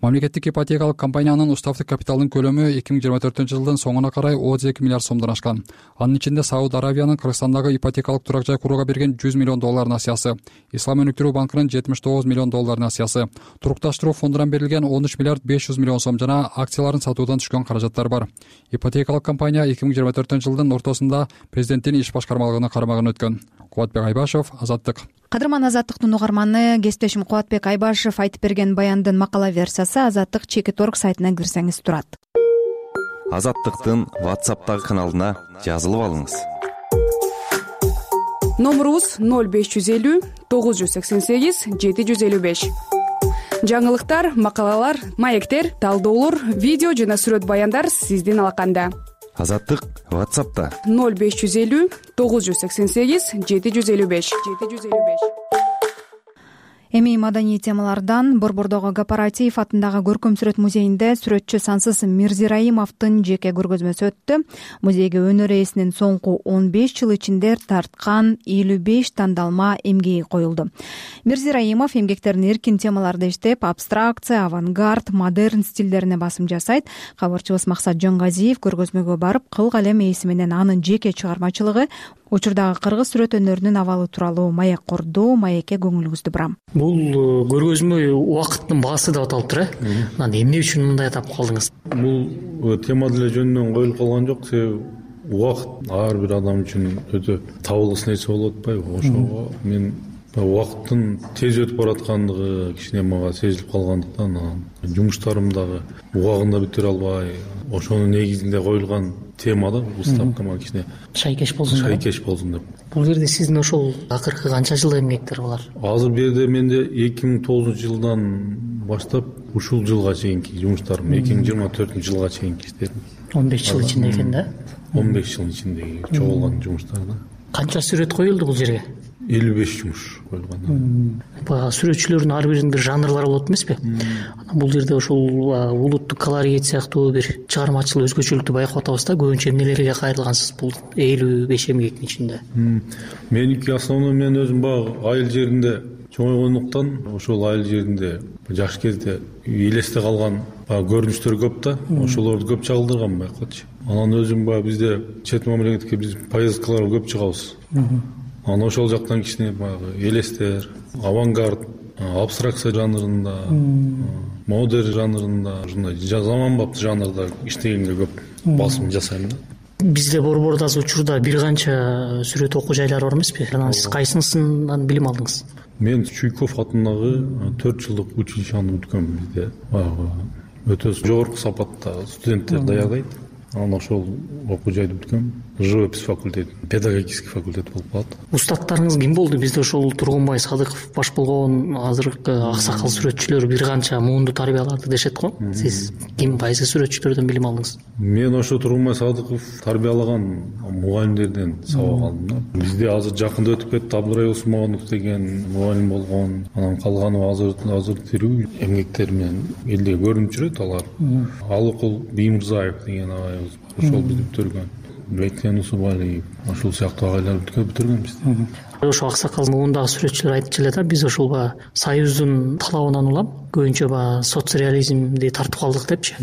Мамлекеттик ипотекалык компаниянын уставдык капиталынын көлөмү эки миң жыйырма төртүнчү жылдын соңуна карай отуз эки миллиард сомдон ашкан. Анын ичинде Сауд Аравиянын Кыргызстандагы ипотекалык турак жай курууга берген жүз миллион доллар насыясы, Ислам өнүктүрүү банкынын жетимиш тогуз миллион доллар насыясы, турукташтыруу фондунан берилген он үч миллиард беш жүз миллион сом жана акцияларын сатуудан түшкөн каражаттар бар. Ипотекалык компания эки миң жыйырма төртүнчү жылдын ортосунда президенттин иш башкармалыгына карамагын өткөн. Кубатбек Айбашев, Азаттык. Кадырман Азаттыктын угарманы, кесиптешим Кубатбек Айбашев айтып берген баяндын макала версиясы Азаттык чекит орг сайтына кирсеңиз турат. Азаттыктын WhatsApp'тагы каналына жазылып алыңыз. Номурубуз ноль беш жүз элүү тогуз жүз сексен сегиз жети жүз элүү беш. Жаңылыктар, макалалар, маектер, талдоолор, видео жана сүрөт баяндар сиздин алаканда. Азаттык WhatsApp'та ноль беш жүз элүү тогуз жүз сексен сегиз жети жүз элүү беш. Эми маданий темалардан Борбордогу Кооператив атындагы көркөм сүрөт музейинде сүрөтчү Сансыз Мирзираимовдун жеке көргөзмөсү өттү. Музейге өнөр ээсинин соңку он беш жыл ичинде тарткан элүү беш тандалма эмгеги коюлду. Мирзираимов эмгектерин эркин темаларда иштеп, абстракция, авангард, модерн стилдерине басым жасайт. Кабарчыбыз Максат Жонгазиев көргөзмөгө барып, кыл калем ээси менен анын жеке чыгармачылыгы, учурдагы кыргыз сүрөт өнөрүнүн абалы тууралуу маек курду. Маекке көңүлүңүздү бурам. Бул көргөзмө убакыттын баасы деп аталыптыр, э? Анан эмне үчүн мындай атап калдыңыз? Бул тема деле жөнүнөн коюлуп калган жок, себеби убакыт ар бир адам үчүн өтө табылгыс нерсе болуп атпайбы? Ошого мен убакыттын тез өтүп бараткандыгы кичине мага сезилип калгандыктан, анан жумуштарым дагы убагында бүтүрө албай, ошонун негизинде коюлган тема да, бул ставка мага кичине шайкеш болсун, шайкеш болсун деп. Бул жерде сиздин ошол акыркы канча жыл эмгектер булар? Азыр бул жерде менде эки миң тогузунчу жылдан баштап ушул жылга чейинки жумуштарым, эки миң жыйырма төртүнчү жылга чейинки иштерим. он беш жыл ичинде экен да? он беш жыл ичиндеги чогулган жумуштар да. Канча сүрөт коюлду бул жерге? элүү беш жумуш коюлган. Баягы сүрөтчүлөрдүн ар биринин бир жанрлары болот эмеспи? Бул жерде ошол улуттук колорит сыяктуу бир чыгармачыл өзгөчөлүктү байкап атабыз да. Көбүнчө эмнелерге кайрылгансыз бул элүү беш эмгектин ичинде? Меники основной мен өзүм баягы айыл жеринде чоңойгондуктан, ошол айыл жеринде жаш кезде элесте калган көрүнүштөр көп да, ошолорду көп чагылдырган байкачы. Анан өзүм баягы бизде чет мамлекетке биз поездкаларга көп чыгабыз. Анан ошол жактан кичине баягы элестер, авангард, абстракция жанрында, модерн жанрында, ушундай заманбап жанрда иштегенге көп басым жасайм да. Бизде Борбордо азыр учурда бир канча сүрөт окуу жайлары бар эмеспи? Анан сиз кайсынысынан билим алдыңыз? Мен Чуйков атындагы төрт жылдык училищени бүткөм. Бизде баягы өтө жогорку сапатта студенттер даярдайт. Анан ошол окуу жайды бүткөм. живопись факультети, педагогический факультет болуп калат. Устаттарыңыз ким болду? Бизде ошол Тургунбай Садыков баш болгон азыркы аксакал сүрөтчүлөр бир канча муунду тарбиялады дешет го. Сиз ким, кайсы сүрөтчүлөрдөн билим алдыңыз? Мен ошо Тургунбай Садыков тарбиялаган мугалимдерден сабак алдым. Бизде азыр жакында өтүп кетти, Абдырай Усмонов деген мугалим болгон. Анан калганы азыр азыр тирүү эмгектер менен элде көрүнүп жүрөт алар. Алыкул Биймырзаев деген агайыбыз бар. Ошол бизди бүтүргөн. Бектен Усубалиев, ошол сыяктуу агайлар бүтүргөн бизди. Ошо аксакал муундагы сүрөтчүлөр айтчу эле да, биз ошол баягы Союздун талабынан улам көбүнчө баягы соцреализмди тартып калдык депчи.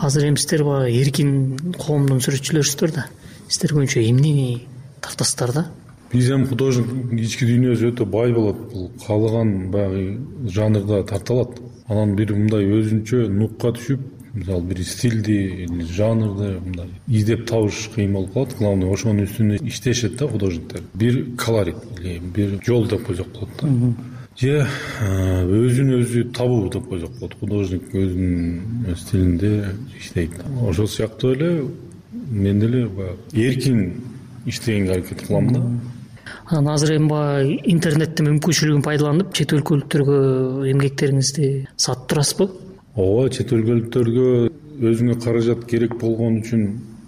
Азыр эми сиздер баягы эркин коомдун сүрөтчүлөрүсүздөр да. Сиздер көбүнчө эмнени тартасыздар да? Биз эми художник ички дүйнөсү өтө бай болот. Бул каалаган баягы жанрда тарта алат. Анан бир мындай өзүнчө нукка түшүп, мисалы бир стилди, жанрды мындай издеп табыш кыйын болуп калат. Главное ошонун үстүнө иштешет да художниктер. Бир колорит или бир жол деп койсок болот да. Же өзүн өзү табуу деп койсок болот. Художник өзүнүн стилинде иштейт. Ошол сыяктуу эле мен деле эркин иштегенге аракет кылам да. Анан азыр эми баягы интернеттин мүмкүнчүлүгүн пайдаланып чет өлкөлүктөргө эмгектериңизди сатып турасызбы? Ооба, чет өлкөлүктөргө өзүңө каражат керек болгон үчүн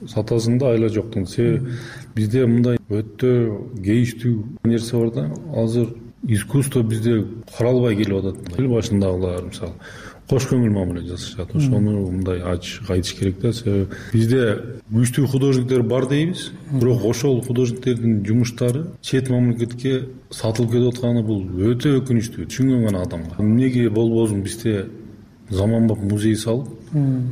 сатасың да, айла жоктун. Себеби бизде мындай өтө кейиштүү нерсе бар да. Азыр искусство бизде каралбай келип атат. Эл башындагылар мисалы кош көңүл мамиле жасашат. Ошону мындай ачык айтыш керек да. Себеби бизде күчтүү художниктер бар дейбиз, бирок ошол художниктердин жумуштары чет мамлекетке сатылып кетип атканы бул өтө өкүнүчтүү, түшүнгөн гана адамга. Эмнеге болбосун бизде заманбап музей салып,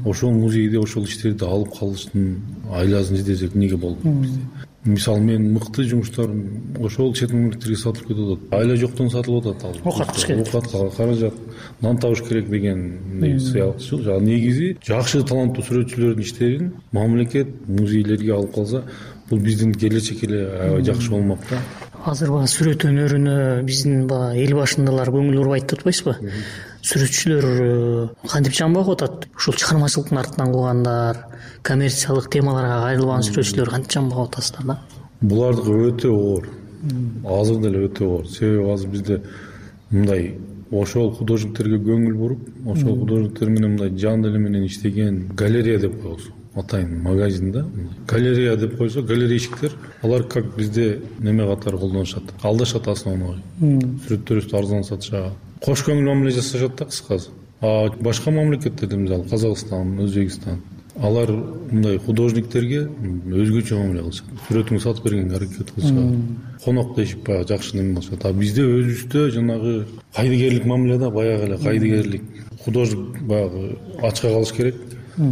ошол музейде ошол иштерди алып калыштын айласын издесек эмнеге болбойт бизде? Мисалы мен мыкты жумуштарым ошол чет мамлекеттерге сатылып кетип атат. Айла жоктон сатылып атат. Оокат кылыш керек. Оокат, каражат, нан табыш керек деген сыяктуу. Негизи жакшы таланттуу сүрөтчүлөрдүн иштерин мамлекет музейлерге алып калса, бул биздин келечек эле аябай жакшы болмок да. Азыр баягы сүрөт өнөрүнө биздин баягы эл башындагылар көңүл бурбайт деп атпайсызбы? Сүрөтчүлөр кантип жанбап атат? Ушул чыгармачылыктын артынан куугандар, коммерциялык темаларга кайрылбаган сүрөтчүлөр кантип жанбап атасыздар да? Булардыкы өтө оор. Азыр деле өтө оор. Себеби азыр бизде мындай ошол художниктерге көңүл буруп, ошол художниктер менен мындай жан деле менен иштеген галерея деп коебуз. Атайын магазин да. Галерея деп койсо, галерейщиктер, алар как бизде неме катары колдонушат. Алдашат основной. Сүрөттөрүбүздү арзан сатышат. Кош көңүл мамиле жасашат да кыскасы. А башка мамлекеттерде, мисалы Казакстан, Өзбекстан, алар мындай художниктерге өзгөчө мамиле кылышат. Сүрөтүңдү сатып бергенге аракет кылышат. Конок дешип баягы жакшы неме кылышат. А бизде өзүбүздө жанагы кайдыгерлик мамиле да, баягы эле кайдыгерлик. Художник баягы ачка калыш керек,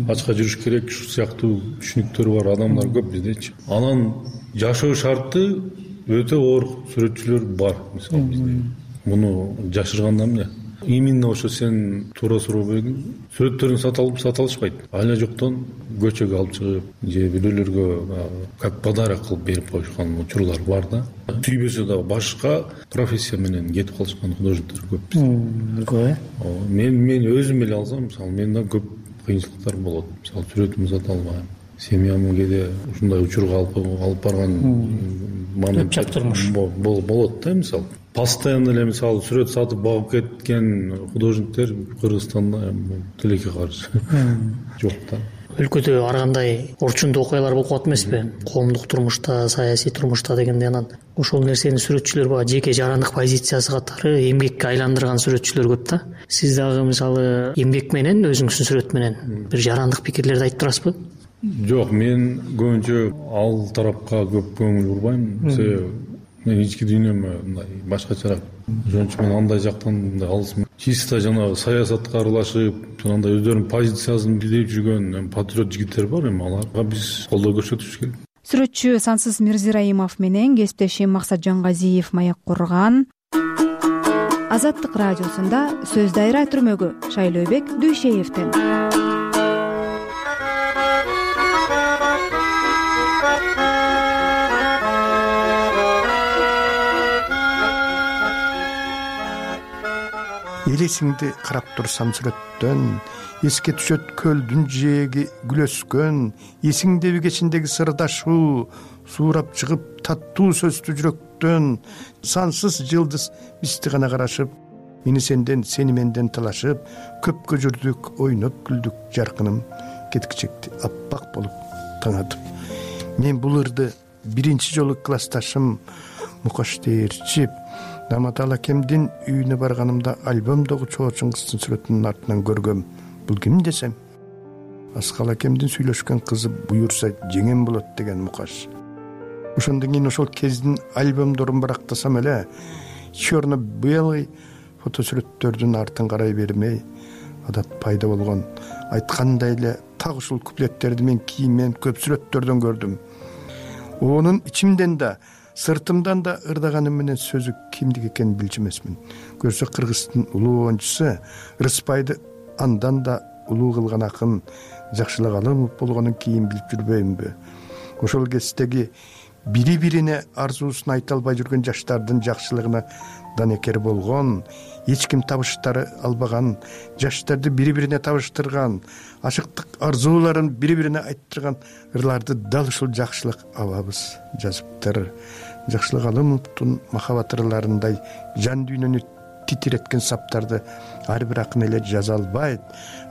ачка жүрүш керек, ушул сыяктуу түшүнүктөр бар адамдар көп биздечи. Анан жашоо шарты өтө оор сүрөтчүлөр бар, мисалы бизде. Муну жашырганда эмне? Именно ошо сен туура суроо бергиң. Сүрөттөрүн саталып саталышпайт. Айла жоктон көчөгө алып чыгып, же бирөөлөргө как подарок кылып берип коюшкан учурлар бар да. Сүйбөсө дагы башка профессия менен кетип калышкан художниктер көп бизде. Мен мен өзүм эле алсам, мисалы, менде көп кыйынчылыктар болот. Мисалы, сүрөтүмдү сата албайм. Семьямды кээде ушундай учурга алып алып барган момент болот да, мисалы. Постоянно эле мисалы сүрөт сатып багып кеткен художниктер Кыргызстанда тилекке каршы жок да. Өлкөдө ар кандай орчундуу окуялар болуп калат эмеспи? Коомдук турмушта, саясий турмушта дегенде, анан ошол нерсени сүрөтчүлөр баягы жеке жарандык позициясы катары эмгекке айландырган сүрөтчүлөр көп да. Сиз дагы мисалы эмгек менен, өзүңүздүн сүрөт менен бир жарандык пикирлерди айтып турасызбы? Жок, мен көбүнчө ал тарапка көп көңүл бурбайм. Себеби мен ички дүйнөмө мындай башкачараак. Ошон үчүн мен андай жактан мындай алысмын. Чисто жанагы саясатка аралашып, андай өздөрүнүн позициясын билдирип жүргөн патриот жигиттер бар, эми аларга биз колдоо көрсөтүш керек. Сүрөтчү Сансыз Мирзираимов менен кесиптешим Максат Жангазиев маек курган. Азаттык радиосунда сөз дайра түрмөгү Шайлообек Дүйшеевден. элесиңди карап турсам сүрөттөн, эске түшөт көлдүн жээги гүл өскөн, эсиңдеби кечиндеги сырдашуу, суурап чыгып таттуу сөздүү жүрөктөн, сансыз жылдыз бизди гана карашып, мени сенден, сени менден талашып, көпкө жүрдүк, ойноп күлдүк, жаркыным кеткичекти аппак болуп таңатып. Мен бул ырды биринчи жолу классташым Мукаш Дээрчип Наматал акемдин үйүнө барганымда альбомдогу чоочун кыздын сүрөтүнүн артынан көргөм. Бул ким десем, Аскал акемдин сүйлөшкөн кызы буюрса жеңем болот деген Мукаш. Ошондон кийин ошол кездин альбомдорун барактасам эле, черно-белый фотосүрөттөрдүн артын карай бермей, адат пайда болгон. Айткандай эле так ушул куплеттерди мен кийинмен көп сүрөттөрдөн көрдүм. Онун ичимден да, сыртымдан да ырдаганым менен сөзү кимдики экенин билчү эмесмин. Көрсө Кыргыздын улуу оюнчусу Рыспайды андан да улуу кылган акын Жакшылык Алымов болгонун кийин билип жүрбөймүнбү? Ошол кездеги бири-бирине арзуусун айта албай жүргөн жаштардын жакшылыгына данекер болгон, эч ким табыштары албаган, жаштарды бири-бирине табыштырган, ашыктык арзууларын бири-бирине айттырган ырларды дал ушул Жакшылык абабыз жазыптыр. Жакшылык Алымовдун махабат ырларындай жан дүйнөнү титиреткен саптарды ар бир акын эле жаза албайт,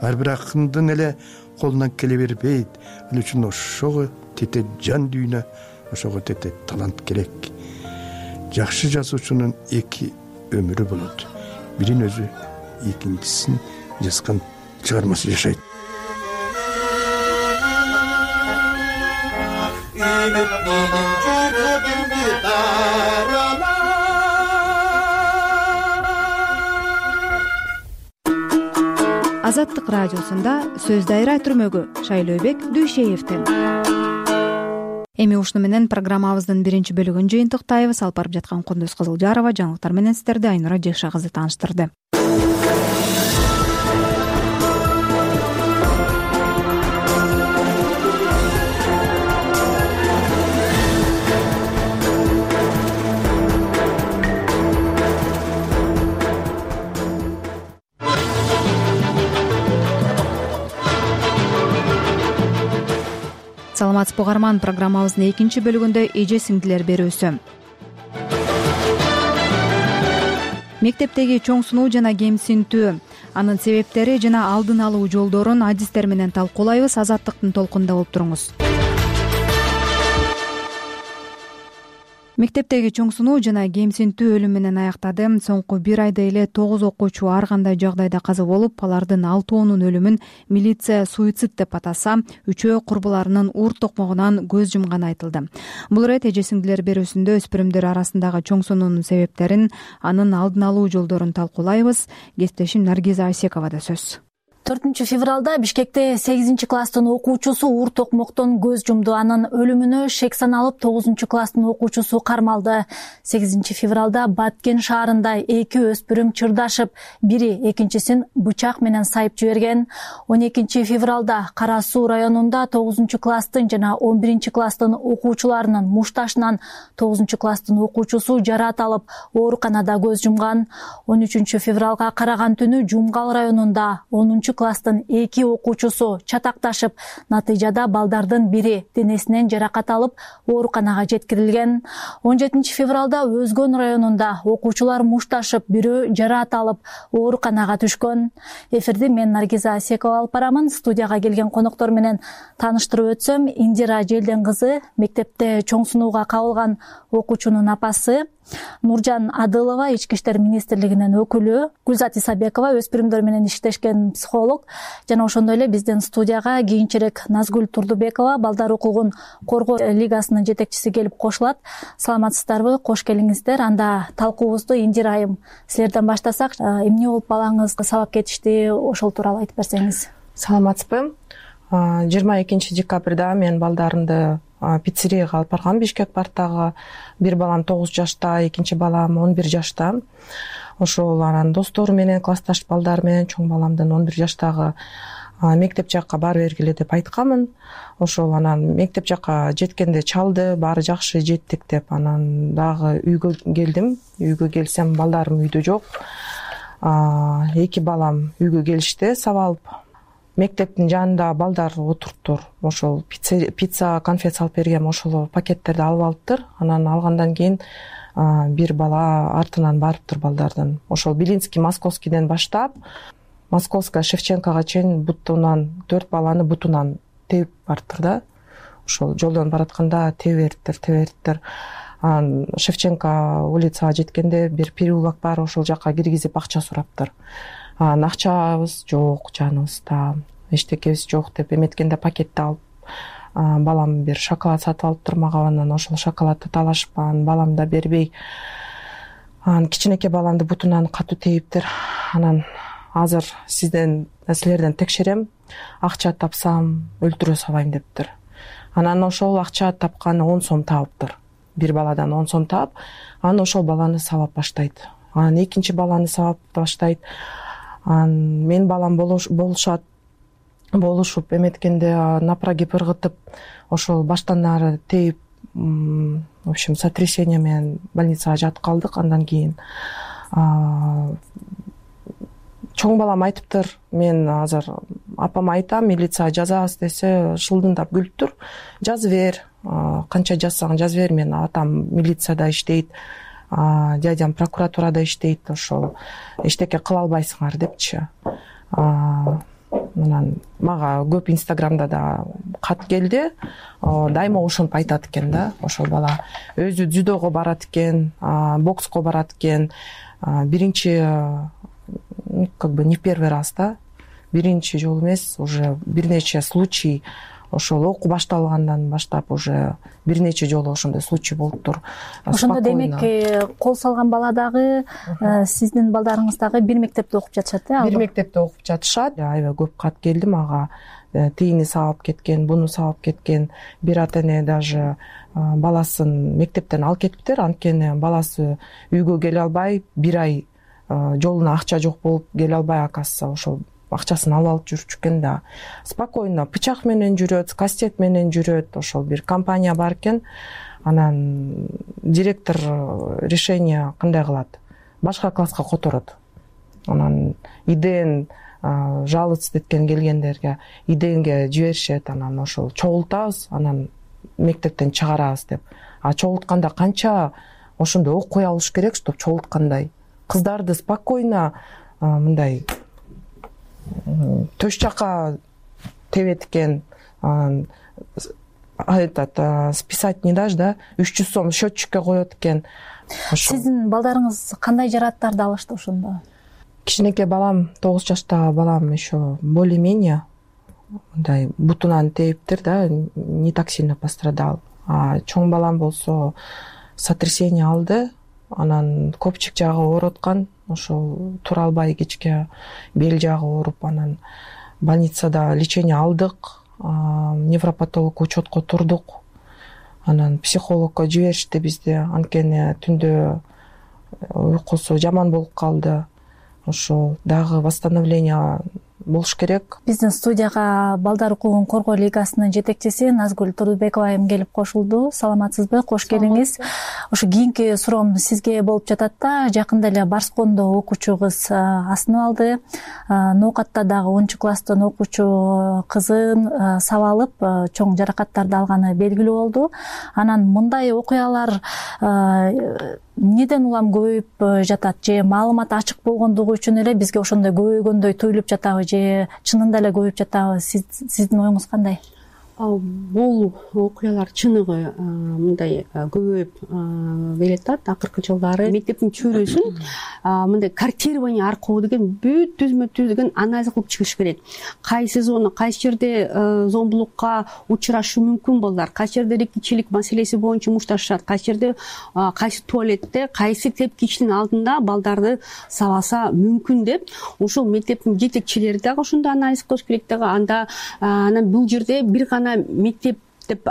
ар бир акындын эле колунан келе бербейт. Ал үчүн ошого тете жан дүйнө, ошого тете талант керек. Жакшы жазуучунун эки өмүрү болот. Бирин өзү, экинчисин жазган чыгармасы жашайт. Азаттык радиосунда сөз дайра түрмөгү Шайлообек Дүйшеевден. Эми ушуну менен программабыздын биринчи бөлүгүн жыйынтыктайбыз. Алып барып жаткан Кондуз Кызылжарова жаңылыктар менен сиздерди Айнура Жекша кызы тааныштырды. Саламатсызбы угарман, программабыздын экинчи бөлүгүндө эже сиңдилер берүүсү. Мектептеги чоң сунуу жана кемсинтүү, анын себептери жана алдын алуу жолдорун адистер менен талкуулайбыз. Азаттыктын толкунунда болуп туруңуз. Мектептеги чоң сунуу жана кемсинтүү өлүм менен аяктады. Соңку бир айда эле тогуз окуучу ар кандай жагдайда каза болуп, алардын алтоонун өлүмүн милиция суицид деп атаса, үчөө курбуларынын ур токмогунан көз жумганы айтылды. Бул ирет эже сиңдилер берүүсүндө өспүрүмдөр арасындагы чоң сунуунун себептерин, анын алдын алуу жолдорун талкуулайбыз. Кесиптешим Наргиза Асековада сөз. төртүнчү февралда Бишкекте сегизинчи класстын окуучусу ур токмоктон көз жумду. Анын өлүмүнө шек саналып тогузунчу класстын окуучусу кармалды. сегизинчи февралда Баткен шаарында эки өспүрүм чырдашып, бири экинчисин бычак менен сайып жиберген. он экинчи февралда Кара Суу районунда тогузунчу класстын жана он биринчи класстын окуучуларынын мушташынан тогузунчу класстын окуучусу жараат алып, ооруканада көз жумган. он үчүнчү февралга караган түнү Жумгал районунда онунчу класстын эки окуучусу чатакташып, натыйжада балдардын бири денесинен жаракат алып, ооруканага жеткирилген. он жетинчи февралда Өзгөн районунда окуучулар мушташып, бирөө жараат алып, ооруканага түшкөн. Эфирди мен Наргиза Асекова алып барамын. Студияга келген коноктор менен тааныштырып өтсөм, Индира Желден кызы, мектепте чоң сунууга кабылган окуучунун апасы, Нуржан Адылова, Ички иштер министрлигинин өкүлү, Гүлзат Исабекова, өспүрүмдөр менен иштешкен психолог, жана ошондой эле биздин студияга кийинчерээк Назгүл Турдубекова, Балдар укугун коргоо лигасынын жетекчиси келип кошулат. Саламатсыздарбы? Кош келиңиздер. Анда талкуубузду Индира айым силерден баштасак, эмне болуп балаңыз сабап кетишти, ошол тууралуу айтып берсеңиз. Саламатсызбы? жыйырма экинчи декабрда мен балдарымды пиццерияга алып баргам. Бишкек парктагы бир балам тогуз жашта, экинчи балам он бир жашта. Ошол анан достору менен, классташ балдар менен чоң баламдын он бир жаштагы мектеп жакка бара бергиле деп айтканмын. Ошол анан мектеп жакка жеткенде чалды, баары жакшы, жеттик деп. Анан дагы үйгө келдим. Үйгө келсем балдарым үйдө жок. эки балам үйгө келишти сабап алып. Мектептин жанында балдар отуруптур. Ошол пицца, конфет салып бергем, ошол пакеттерди алып алыптыр. Анан алгандан кийин бир бала артынан барыптыр балдардын. Ошол Белинский, Московскийден баштап Московская, Шевченкого чейин бутунан төрт баланы бутунан теуип барыптыр да. Ошол жолдон баратканда тебе бериптир, тебе бериптир. Анан Шевченко улицага жеткенде бир переулок бар, ошол жака киргизип акча сураптыр. Анан акчабыз жок, жаныбызда эчтекебиз жок деп эметкенде пакетти алып балам бир шоколад сатып алыптыр мага. Анан ошол шоколадты талашып, анан балам да бербей, анан кичинекей баламды бутунан катуу теиптир. Анан азыр сизден силерден текшерем, акча тапсам өлтүрө салайын дептир. Анан ошол акча тапканы он сом табыптыр. Бир баладан он сом таап, анан ошол баланы сабап баштайт. Анан экинчи баланы сабап баштайт. Анан мен балам болушат, болушуп эметкенде напрагип ыргытып, ошол баштан ары теип, в общем, сотрясение менен больницага жатып калдык. Андан кийин чоң балам айтыптыр, мен азыр апама айтам, милицияга жазабыз десе, шылдыңдап күлүптүр. Жазып бер, канча жазсаң жазып бер, мен атам милицияда иштейт, дядям прокуратурада иштейт, ошол эчтеке кыла албайсыңар депчи. Анан мага көп инстаграмда да кат келди, дайыма ошентип айтат экен да. Ошол бала өзү дзюдого барат экен, бокско барат экен. Биринчи, как бы не первый раз да, биринчи жолу эмес, уже бир нече случай. Ошол окуу башталгандан баштап уже бир нече жолу ошондой случай болуптур. Ошондо демек кол салган бала дагы, сиздин балдарыңыз дагы бир мектепте окуп жатышат э? Бир мектепте окуп жатышат. Аябай көп кат келди мага. Тийини сабап кеткен, буну сабап кеткен. Бир ата эне даже баласын мектептен алып кетиптир, анткени баласы үйгө келе албай, бир ай жолуна акча жок болуп келе албай, акасы ошол акчасын алып алып жүрчү экен да. Спокойно пычак менен жүрөт, кастет менен жүрөт. Ошол бир компания бар экен. Анан директор решение кандай кылат? Башка класска которот. Анан иден жаловаться эткен келгендерге иденге жиберишет. Анан ошол чогултабыз, анан мектептен чыгарабыз деп. А чогултканда канча ошондой окуй алыш керек, чтоб чогулткандай. Кыздарды спокойно мындай төш жака тебет экен. Этот списать не дашь, да? үч жүз сом счетчикке коет экен. Сиздин балдарыңыз кандай жарааттарды алышты ошондо? Кичинекей балам, тогуз жаштагы балам еще более-менее мындай бутунан теиптир да, не так сильно пострадал. А чоң балам болсо сотрясение алды. Анан көпчүк жагы ооруткан, ошол тура албай кечке бел жагы ооруп, анан больницада лечение алдык, невропатолог учетко турдук. Анан психологко жиберишти бизди, анткени түндө уйкусу жаман болуп калды. Ошол дагы восстановление болуш керек. Биздин студияга Балдар укугун коргоо лигасынын жетекчиси Назгүл Турдубекова айым келип кошулду. Саламатсызбы? Кош келиңиз. Ошо кийинки суроом сизге болуп жатат да. Жакында эле Барскондо окуучу кыз асынып алды. Ноокатта дагы онунчу класстын окуучу кызын сабап алып, чоң жаракаттарды алганы белгилүү болду. Анан мындай окуялар эмнеден улам көбөйүп жатат? Же маалымат ачык болгондугу үчүн эле бизге ошондой көбөйгөндөй туюлуп жатабы, же чынында эле көбөйүп жатабы? Сиздин оюңуз кандай? Бул окуялар чыныгы мындай көбөйүп келатат. Акыркы жылдары мектептин чөйрөсүн мындай картирование аркылуу деген бүт түзмө түз деген анализ кылып чыгыш керек. Кайсы зона, кайсы жерде зомбулукка учурашы мүмкүн балдар, кайсы жерде эркинчилик маселеси боюнча мушташат, кайсы жерде кайсы туалетте, кайсы тепкичтин алдында балдарды сабаса мүмкүн деп, ошол мектептин жетекчилери дагы ошондой анализ кылыш керек дагы. Анда анан бул жерде бир гана мектеп деп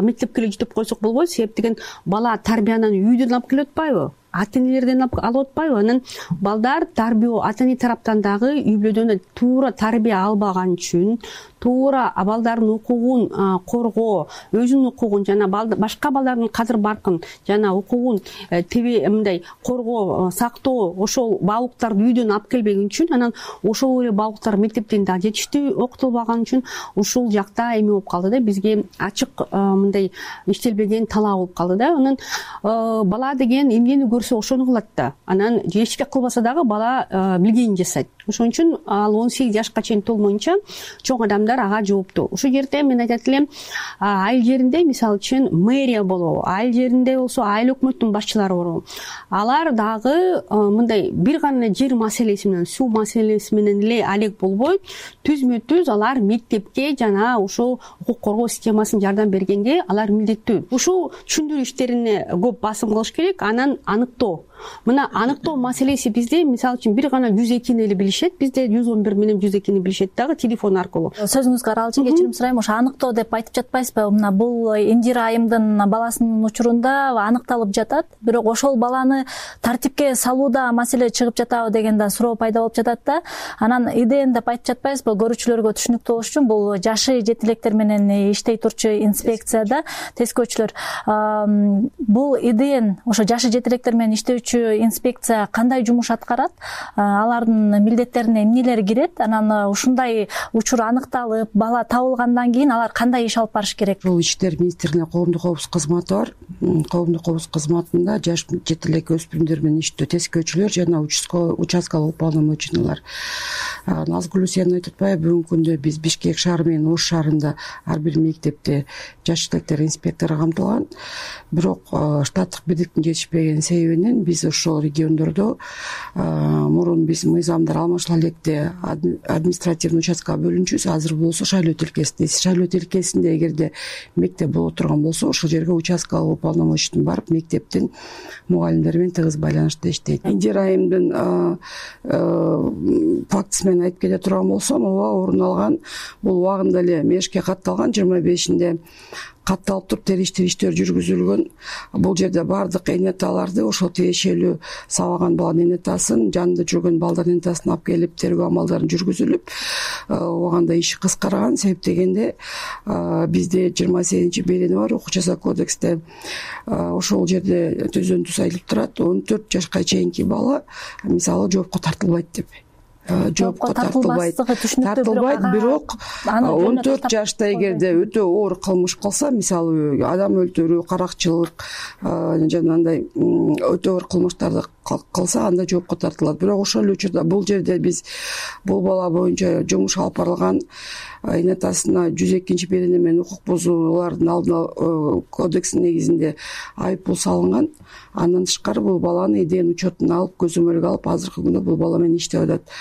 мектепке эле жетип койсок болбойт, себеп деген бала тарбиянын үйдөн алып келип атпайбы? ата энелерден алып атпайбы? Анан балдар тарбия ата эне тараптан дагы үй бүлөдөн туура тарбия албаган үчүн, туура балдардын укугун коргоо, өзүнүн укугун жана башка балдардын кадыр баркын жана укугун тебе мындай коргоо, сактоо, ошол баалуулуктарды үйдөн алып келбеген үчүн, анан ошол эле баалуулуктар мектептен да жетиштүү окутулбаган үчүн ушул жакта эме болуп калды да, бизге ачык мындай иштелбеген талаа болуп калды да. Анан бала деген эмнени көрсө ошону кылат да. Анан эчке кылбаса дагы бала билгенин жасайт. Ошон үчүн ал он сегиз жашка чейин толмоюнча чоң адамдар ага жооптуу. Ушул жерде мен айтат элем, айыл жеринде мисалы үчүн мэрия болобу, айыл жеринде болсо айыл өкмөттүн башчылары борбу. Алар дагы мындай бир гана жер маселеси менен, суу маселеси менен эле алек болбой, түзмө түз алар мектепке жана ушул укук коргоо системасын жардам бергенге алар милдеттүү. Ушул түшүндүрүү иштерине көп басым кылыш керек. Анан аныктоо. Мына аныктоо маселеси бизде мисалы үчүн бир гана жүз экини эле билишет. Бизде жүз он бир менен жүз экини билишет дагы телефон аркылуу. Сөзүңүзгө аралашып кечирим сурайм. Ошо аныктоо деп айтып жатпайсызбы? Мына бул Индира айымдын баласынын учурунда аныкталып жатат, бирок ошол баланы тартипке салууда маселе чыгып жатабы деген да суроо пайда болуп жатат да. Анан иден деп айтып жатпайсызбы? Көрүүчүлөргө түшүнүктүү болуш үчүн бул жашы жетилектер менен иштей турчу инспекцияда тескөөчүлөр. Бул иден ошо жашы жетилектер менен иштөөчү инспекция кандай жумуш аткарат? Алардын милдеттерине эмнелер кирет? Анан ушундай учур аныкталып, бала табылгандан кийин алар кандай иш алып барыш керек? Бул Ички иштер министрлигинде коомдук коопсуздук кызматы бар. Коомдук коопсуздук кызматында жаш жетилек өспүрүмдөр менен иштөө тескөөчүлөр жана участкалык уполномоченныйлар. Назгүл сен айтып атпайбы, бүгүнкү күндө биз Бишкек шаары менен Ош шаарында ар бир мектепте жаш жетилектер инспектору камтылган. Бирок штаттык бирдиктин жетишпеген себебинен биз ошол региондордо мурун биз мыйзамдар алмашыла электе административный участкага бөлүнчүбүз. Азыр болсо шайлоо тилкесинде. Шайлоо тилкесинде эгерде мектеп боло турган болсо, ошол жерге участкалык уполномоченный барып, мектептин мугалимдери менен тыгыз байланышта иштейт. Индира айымдын фактысы менен айтып кете турган болсом, ооба орун алган. Бул убагында эле мешке катталган, жыйырма бешинде катталып туруп териштир иштер жүргүзүлгөн. Бул жерде баардык эне аталарды, ошол тиешелүү сабаган баланын эне атасын, жанында жүргөн балдардын эне атасын алып келип тергөө амалдарын жүргүзүлүп, убагында иш кыскарган. Себеп дегенде бизде жыйырма сегизинчи берени бар укук жаза кодексте. Ошол жерде түздөн түз айтылып турат, он төрт жашка чейинки бала мисалы жоопко тартылбайт деп. Жоопко тартылбайт, тартылбайт, бирок он төрт жашта эгерде өтө оор кылмыш кылса, мисалы адам өлтүрүү, каракчылык жана андай өтө оор кылмыштарды кылса, анда жоопко тартылат. Бирок ошол эле учурда бул жерде биз бул бала боюнча жумуш алып барылган, эне атасына жүз экинчи берени менен укук бузуулардын алдын алуу кодексинин негизинде айып пул салынган. Андан тышкары бул баланы иден учетуна алып, көзөмөлгө алып, азыркы күндө бул бала менен иштеп атат.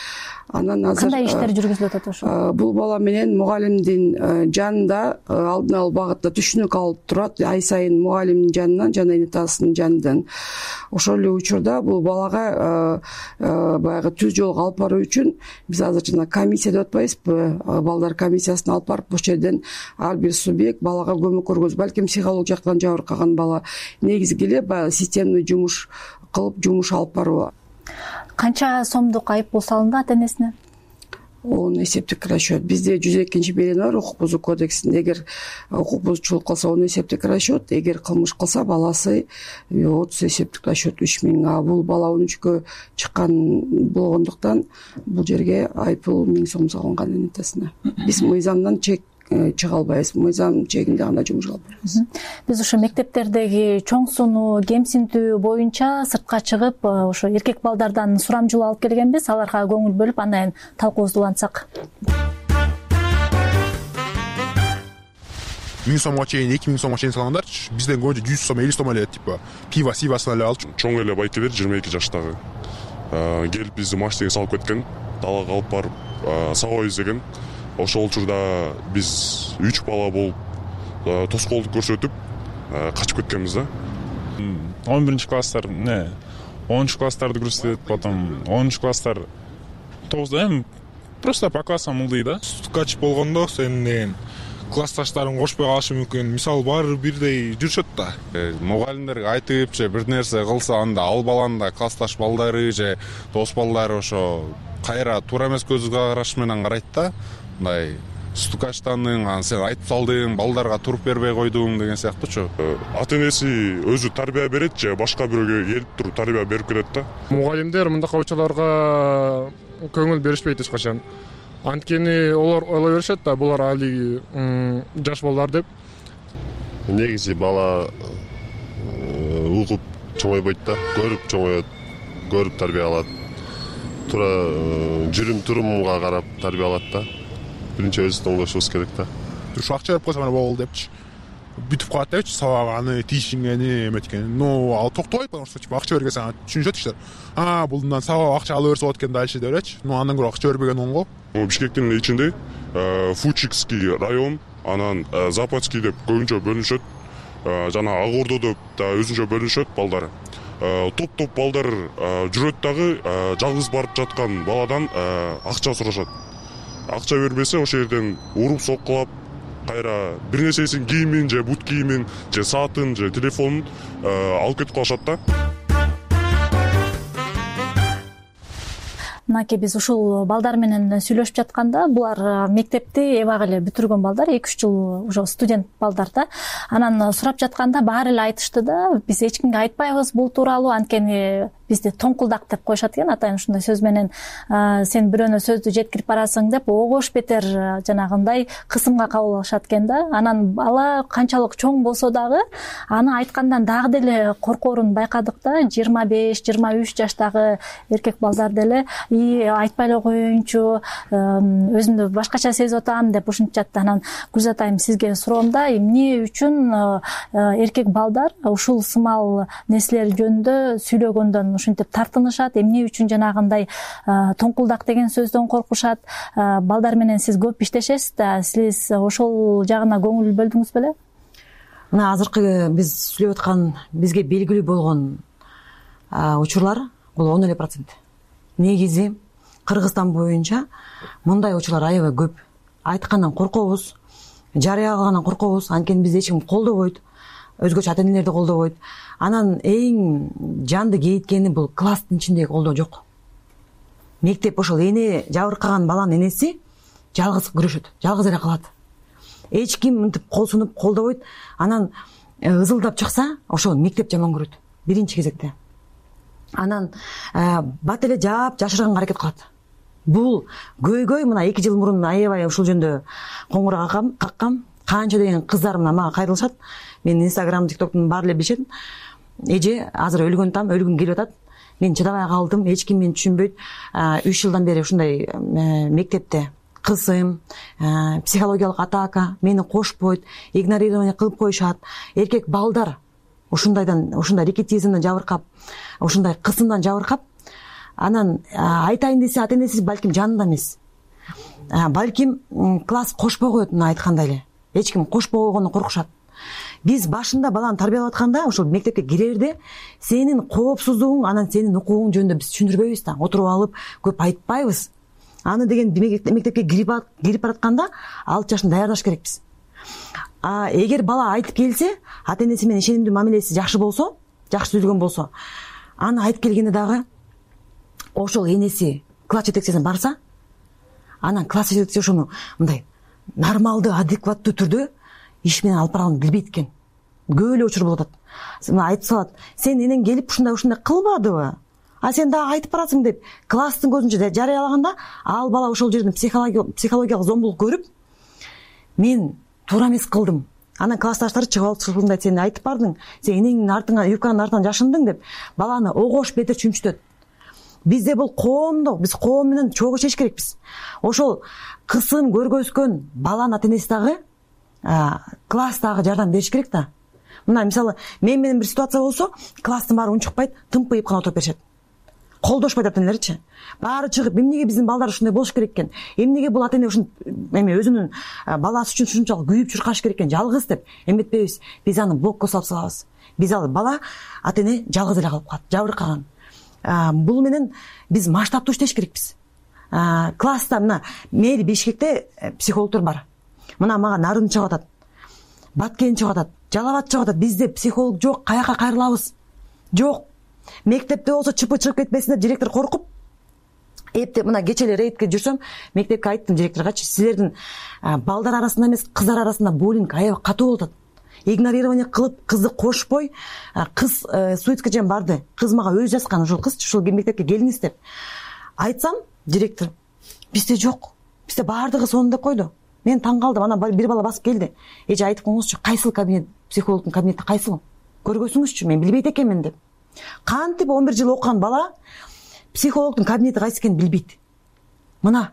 Анан азыр кандай иштер жүргүзүлүп атат ошо? Бул бала менен мугалимдин жанында алдын алуу багытта түшүнүк алып турат, ай сайын мугалимдин жанынан жана эне атасынын жанынан. Ошол эле учурда бул балага баягы түз жолго алып баруу үчүн биз азыр жана комиссия деп атпайбызбы, балдар комиссиясын алып барып, ошол жерден ар бир субъект балага көмөк көргөзүп, балким психологик жактан жабыркаган бала негизги эле баягы системный жумуш кылып, жумуш алып баруу. Канча сомдук айып пул салынды ата энесине? Он эсептик расчет. Бизде жүз экинчи берени бар укук бузуу кодексинде. Эгер укук бузуучулук кылса он эсептик расчет, эгер кылмыш кылса баласы отуз эсептик расчет үч миң. А бул бала он үчкө чыккан болгондуктан бул жерге айыппул миң сом салынган эне атасына. Биз мыйзамдан чек чыга албайбыз, мыйзам чегинде гана жумуш кылып беребиз. Биз ошо мектептердеги чоң сууну кемсинтүү боюнча сыртка чыгып, ошо эркек балдардан сурамжылоо алып келгенбиз. Аларга көңүл бөлүп, андан талкуубузду улантсак. миң сомго чейин, эки миң сомго чейин салгандар, бизден көбүнчө жүз сом, элүү сом эле типа пиво, сивасын эле алып. Чоң эле байкелер жыйырма эки жаштагы келип бизди машинеге салып кеткен, далага алып барып сабап издеген. Ошол учурда биз үч бала болуп тоскоолдук көрсөтүп качып кеткенбиз да. он биринчи класстар, не, онунчу класстарды көрсөтөт, потом онунчу класстар тогузда эми просто по классам ылдый да. Качып болгондо сен классташтарын кошпой калышы мүмкүн. Мисалы баары бирдей жүрүшөт да. Мугалимдерге айтып же бир нерсе кылса, анда ал баланын да классташ балдары же дос балдары ошо кайра туура эмес көз караш менен карайт да. Мындай стукачтандың, анан сен айтып салдың, балдарга туруп бербей койдуң деген сыяктуучу. Ата энеси өзү тарбия берет же башка бирөөгө келип туруп тарбия берип кетет да. Мугалимдер мындакай учурларга көңүл беришпейт эч качан. Анткени олар ойлой беришет да, булар али жаш балдар деп. Негизи бала угуп чоңойбойт да, көрүп чоңоет, көрүп тарбия алат. Туура жүрүм турумга карап тарбия алат да. Биринчи өзүбүздүн оңдошубуз керек да. Ушу акча берип койсо мына болду депчи. Бүтүп калат депчи, сабаганы, тиишингени, эметкени. Ну, ал токтобойт, потому что типа акча бергенсе түшүнүшөт кишилер. А, бул мындан сабак акча ала берсе болот экен дальше деп элечи. Ну, андан көрө акча бербеген оңго. Бишкектин ичинде Фучикский район, анан Западский деп көбүнчө бөлүнүшөт. Жана Ак Ордо деп да өзүнчө бөлүнүшөт балдары. Топ-топ балдар жүрөт дагы жалгыз барып жаткан баладан акча сурашат. Акча бербесе ошол жерден уруп соккулап, кайра бир нерсесин, кийимин же бут кийимин же саатын же телефонун алып кетип калышат да. Мынакей биз ушул балдар менен сүйлөшүп жатканда, булар мектепти эбак эле бүтүргөн балдар, эки үч жыл уже студент балдар да. Анан сурап жатканда баары эле айтышты да, биз эч кимге айтпайбыз бул тууралуу, анткени бизде тоңкулдак деп коюшат экен, атайын ушундай сөз менен сен бирөөнө сөздү жеткирип барасың деп огош бетер жанагындай кысымга кабыл алышат экен да. Анан бала канчалык чоң болсо дагы аны айткандан дагы деле коркоорун байкадык да. жыйырма беш жыйырма үч жаштагы эркек балдар деле и айтпай эле коеюнчу, өзүмдү башкача сезип атам деп ушинтишат. Анан Гүлзат айым, сизге суроом да, эмне үчүн эркек балдар ушул сымал нерселер жөнүндө сүйлөгөндөн ушинтип тартынышат, эмне үчүн жанагындай тоңкулдак деген сөздөн коркушат? Балдар менен сиз көп иштешесиз да, сиз ошол жагына көңүл бөлдүңүз беле? Мына азыркы биз сүйлөп аткан, бизге белгилүү болгон учурлар бул он эле процент. Негизи Кыргызстан боюнча мындай учурлар аябай көп. Айткандан коркобуз, жарыя кылгандан коркобуз, анткени бизди эч ким колдобойт, өзгөчө ата энелерди колдобойт. Анан эң жанды кейиткени бул класстын ичиндеги колдоо жок. Мектеп ошол эне жабыркаган баланын энеси жалгыз күрөшөт, жалгыз эле калат. Эч ким мынтип кол сунуп колдобойт. Анан ызылдап чыкса, ошол мектеп жаман көрөт биринчи кезекте. Анан бат эле жаап жашырганга аракет кылат. Бул көйгөй мына эки жыл мурун аябай ушул жөнүндө коңгуроо каккам. Канча деген кыздар мына мага кайрылышат. Мен Instagram, TikToктун баары эле билишет. Эже азыр өлгөн там, өлгүм келип атат. Мен чыдабай калдым, эч ким мени түшүнбөйт. үч жылдан бери ушундай мектепте кысым, психологиялык атака, мени кошпойт, игнорирование кылып коюшат. Эркек балдар ушундайдан, ушундай рекетизмден жабыркап, ушундай кысымдан жабыркап, анан айтайын десе ата энеси балким жанында эмес. Балким класс кошпой коет, мына айткандай эле. Эч ким кошпой койгондон коркушат. Биз башында баланы тарбиялап атканда, ошол мектепке кирерде сенин коопсуздугуң, анан сенин укугуң жөнүндө биз түшүндүрбөйбүз да, отуруп алып көп айтпайбыз. Аны деген мектепке кирип кирип баратканда алты жашын даярдаш керекпиз. А эгер бала айтып келсе, ата энеси менен ишенимдүү мамилеси жакшы болсо, жакшы түзүлгөн болсо, аны айтып келгенде дагы ошол энеси класс жетекчисине барса, анан класс жетекчиси ошону мындай нормалдуу, адекваттуу түрдө иш менен алып барганын билбейт экен. Көп эле учур болуп атат. Мына айтып салат, сен энең келип ушундай ушундай кылбадыбы? А сен дагы айтып барасың деп класстын көзүнчө жарыялаганда, ал бала ошол жерден психологиялык зомбулук көрүп, мен туура эмес кылдым. Анан классташтары чыгып алып чыгып сен айтып бардың, сен энеңдин артыңан, юбканын артынан жашындың деп баланы огош бетер чүмчүтөт. Бизде бул коомдук, биз коом менен чогуу чечиш керекпиз. Ошол кысым көргөзгөн баланын ата энеси дагы класстагы жардам бериш керек да. Мына мисалы, мен менен бир ситуация болсо, класстын баары унчукпайт, тымпыйып гана отуруп беришет. Колдошпойт ата энелерчи. Баары чыгып, эмнеге биздин балдар ушундай болуш керек экен? Эмнеге бул ата эне ушун эме өзүнүн баласы үчүн ушунчалык күйүп чуркаш керек экен? Жалгыз деп эметпейбиз. Биз аны блокко салып салабыз. Биз ал бала ата эне жалгыз эле калып калат, жабыркаган. Бул менен биз масштабтуу иштеш керекпиз. Класста мына мери Бишкекте психологдор бар. мына мага нарын чыгып атат, баткен чыгып атат, жалал абад чыгып атат. Бизде психолог жок, каяка кайрылабыз? Жок. Мектепте болсо чыпы чыгып кетпесин деп директор коркуп, эптеп мына кечээ эле рейдке жүрсөм, мектепке айттым директоргачы, силердин балдар арасында эмес, кыздар арасында буллинг аябай катуу болуп атат. Игнорирование кылып, кызды кошпой, кыз суицидке чейин барды. Кыз мага өзү жазган, ошол кыз, ушул мектепке келиңиз деп. Айтсам, директор, бизде жок. Бизде баардыгы сонун деп койду. Мен таң калдым. Анан бир бала басып келди. Эже айтып коңузчу, кайсыл кабинет, психологдун кабинети кайсыл? Көргөзүңүзчү, мен билбейт экенмин деп. Кантип он бир жыл окуган бала психологдун кабинети кайсы экенин билбейт. Мына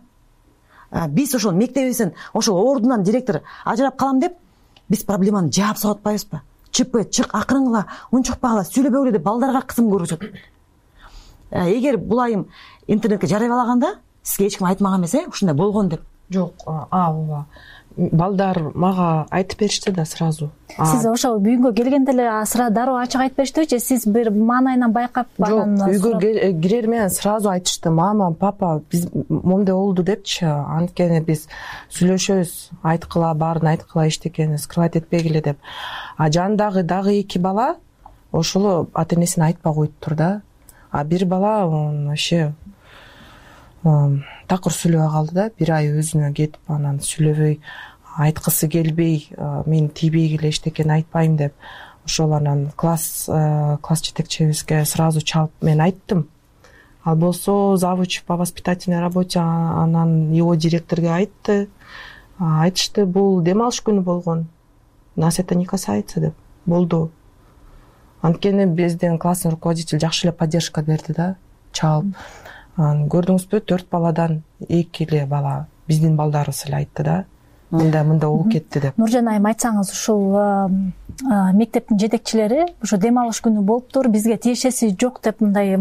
биз ошол мектебибизден ошол ордунан директор ажырап калам деп, биз проблеманы жаап салып атпайбызбы? Чыпы, чык, акырынгыла, унчукпагыла, сүйлөбөгүлө деп балдарга кысым көргөзөт. Эгер бул айым интернетке жарыялаганда, сизге эч ким айтмаган эмес, э, ушундай болгон деп. Жок, а ооба. Балдар мага айтып беришти да сразу. Сиз ошо үйгө келгенде эле сыра дароо ачык айтып бериштиби же сиз бир маанайынан байкап анан? Жок, үйгө кирер менен сразу айтышты. Мама, папа, биз момундай болду депчи. Анткени биз сүйлөшөбүз, айткыла, баарын айткыла, эчтекени скрывать этпегиле деп. А жандагы дагы эки бала ошол ата энесине айтпай коюптур да. А бир бала вообще такыр сүйлөбөй калды да, бир ай өзүнө кетип, анан сүйлөбөй, айткысы келбей, мен тийбегиле эчтекени айтпайм деп. Ошол анан класс класс жетекчибизге сразу чалып мен айттым. Ал болсо завуч по воспитательной работе анан его директорге айтты. Айтышты, бул дем алыш күнү болгон. Нас это не касается деп. Болду. Анткени бизден класстын руководитель жакшы эле поддержка берди да, чалып. Көрдүңүзбү, төрт баладан эки эле бала биздин балдарыбыз эле айтты да. Мындай мындай болуп кетти деп. Нуржан айым, айтсаңыз, ушул мектептин жетекчилери ушу дем алыш күнү болуптур, бизге тиешеси жок деп мындай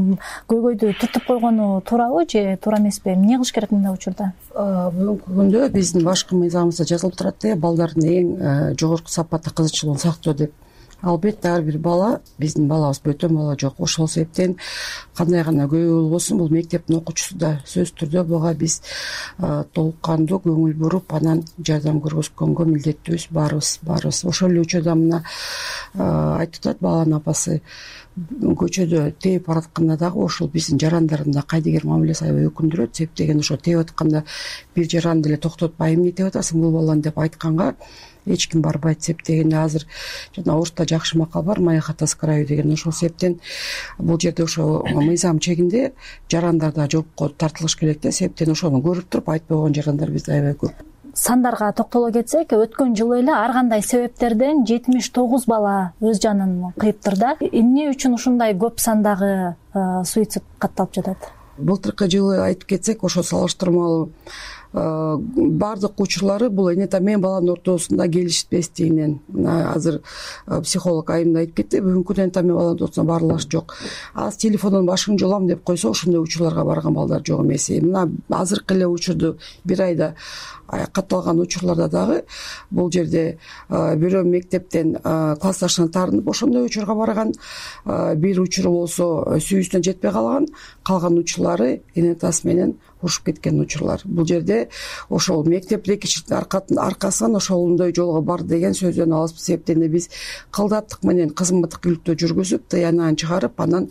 көйгөйдү түртүп койгону туурабы же туура эмеспи? Эмне кылыш керек мындай учурда? Бүгүнкү күндө биздин башкы мыйзамыбызда жазылып турат э, балдардын эң жогорку сапатты кызыкчылыгын сактоо деп. Албетте ар бир бала, биздин балабыз бөтөн бала жок. Ошол себептен кандай гана көйгөй болбосун, бул мектептин окуучусу да сөзсүз түрдө буга биз толук кандуу көңүл буруп, анан жардам көргөзгөнгө милдеттүүбүз, баарыбыз, баарыбыз. Ошол эле учурда мына айтып атат баланын апасы, көчөдө тээп баратканда дагы ошол биздин жарандардын да кайдыгер мамилеси аябай өкүндүрөт. Себеп деген ошо тээп атканда бир жаранды эле токтотпай, эмне тээп атасың бул баланы деп айтканга эч ким барбайт. Себеп дегенде азыр жана орусда жакшы макал бар, моя хата с краю деген. Ошол себептен бул жерде ошо мыйзам чегинде жарандар да жоопко тартылыш керек да. Себептен ошону көрүп туруп айтпай койгон жарандар бизде аябай көп. Сандарга токтоло кетсек, өткөн жылы эле ар кандай себептерден жетимиш тогуз бала өз жанын кыйыптыр да. Эмне үчүн ушундай көп сандагы суицид катталып жатат? Былтыркы жылы айтып кетсек, ошо салыштырмалуу баардык учурлары бул эне мен баланын ортосунда келишпестигинен. Азыр психолог айым да айтып кетти, бүгүнкү күндө эне мен баланын ортосунда баарылаш жок. Аз телефондон башын жолам деп койсо, ошондой учурларга барган балдар жок эмес. Мына азыркы эле учурду бир айда катталган учурларда дагы бул жерде бирөө мектептен классташына таарынып ошондой учурга барган, бир учуру болсо сүйүүсүнө жетпей калган, калган учурлары эне атасы менен урушуп кеткен учурлар. Бул жерде ошол мектеп рекетчиликтин аркасынан ошондой жолго барды деген сөздөн алыспыз. Себептен биз кылдаттык менен кызматтыкүлүктү жүргүзүп, тыянагын чыгарып, анан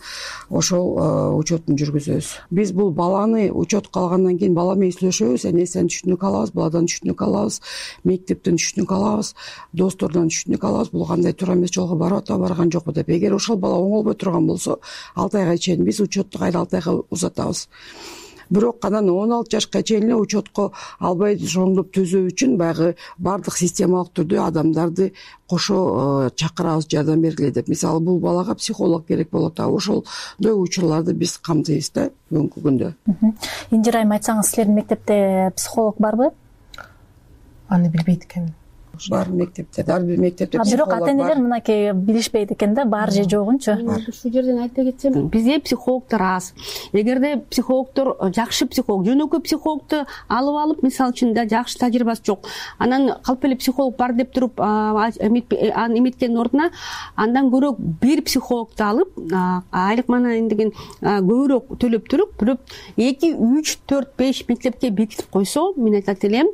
ошол учетун жүргүзөбүз. Биз бул баланы учетко алгандан кийин бала менен сүйлөшөбүз, энесинен түшүнүк алабыз, баладан түшүнүк алабыз, мектептен түшүнүк алабыз, достордон түшүнүк алабыз. Бул кандай туура эмес жолго барып атабы, барган жокпу деп. Эгер ошол бала оңолбой турган болсо, алты айга чейин биз учетту кайра алты айга узатабыз. Бирок анан он алты жашка чейин эле учетко албай ошондоп түзөө үчүн баягы баардык системалык түрдө адамдарды кошо чакырабыз, жардам бергиле деп. Мисалы бул балага психолог керек болот, а ошондой учурларды биз камтыйбыз да бүгүнкү күндө. Инжир айым, айтсаңыз, силердин мектепте психолог барбы? Аны билбейт экенмин. бар мектепте, ар бир мектепте бирок ата энелер мынакей билишпейт экен да, бар же жогунчу. Ушул жерден айта кетсем, бизде психологдор аз. Эгерде психологдор жакшы психолог, жөнөкөй психологду алып алып, мисалы үчүн да жакшы тажрыйбасы жок, анан калп эле психолог бар деп туруп эметкендин ордуна андан көрө бир психологду алып, айлык маанайын деген көбүрөөк төлөп туруп, бирок эки үч төрт беш мектепке бекитип койсо, мен айтат элем,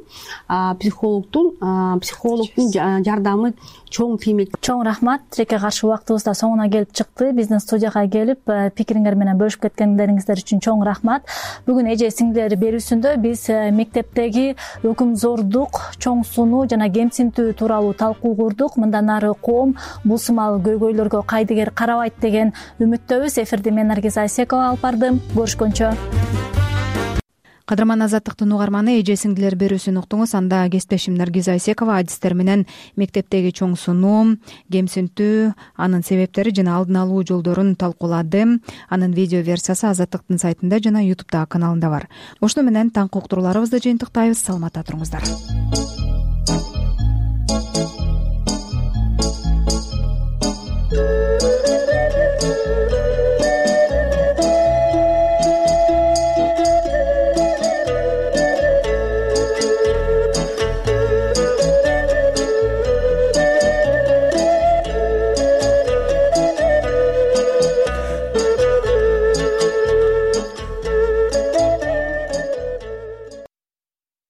психологдун психологдун жардамы чоң тиймек. Чоң рахмат. Тилекке каршы убактыбыз да соңуна келип чыкты. Биздин студияга келип пикириңер менен бөлүшүп кеткендериңиздер үчүн чоң рахмат. Бүгүн эже сиңдилер берүүсүндө биз мектептеги өкүмзордук, чоң сунуу жана кемсинтүү тууралуу талкуу курдук. Мындан ары коом бул сымал көйгөйлөргө кайдыгер карабайт деген үмүттөбүз. Эфирди мен Наргиз Айсекова алып бардым. Көрүшкөнчө. Кадырман Азаттыктын угарманы, эже сиңдилер берүүсүн уктуңуз. Анда кесиптешим Наргиз Айсекова адистер менен мектептеги чоң сунуу, кемсинтүү, анын себептери жана алдын алуу жолдорун талкуулады. Анын видео версиясы Азаттыктын сайтында жана ютубтагы каналында бар. Ошону менен таңкы уктурууларыбызды жыйынтыктайбыз. Саламатта туруңуздар.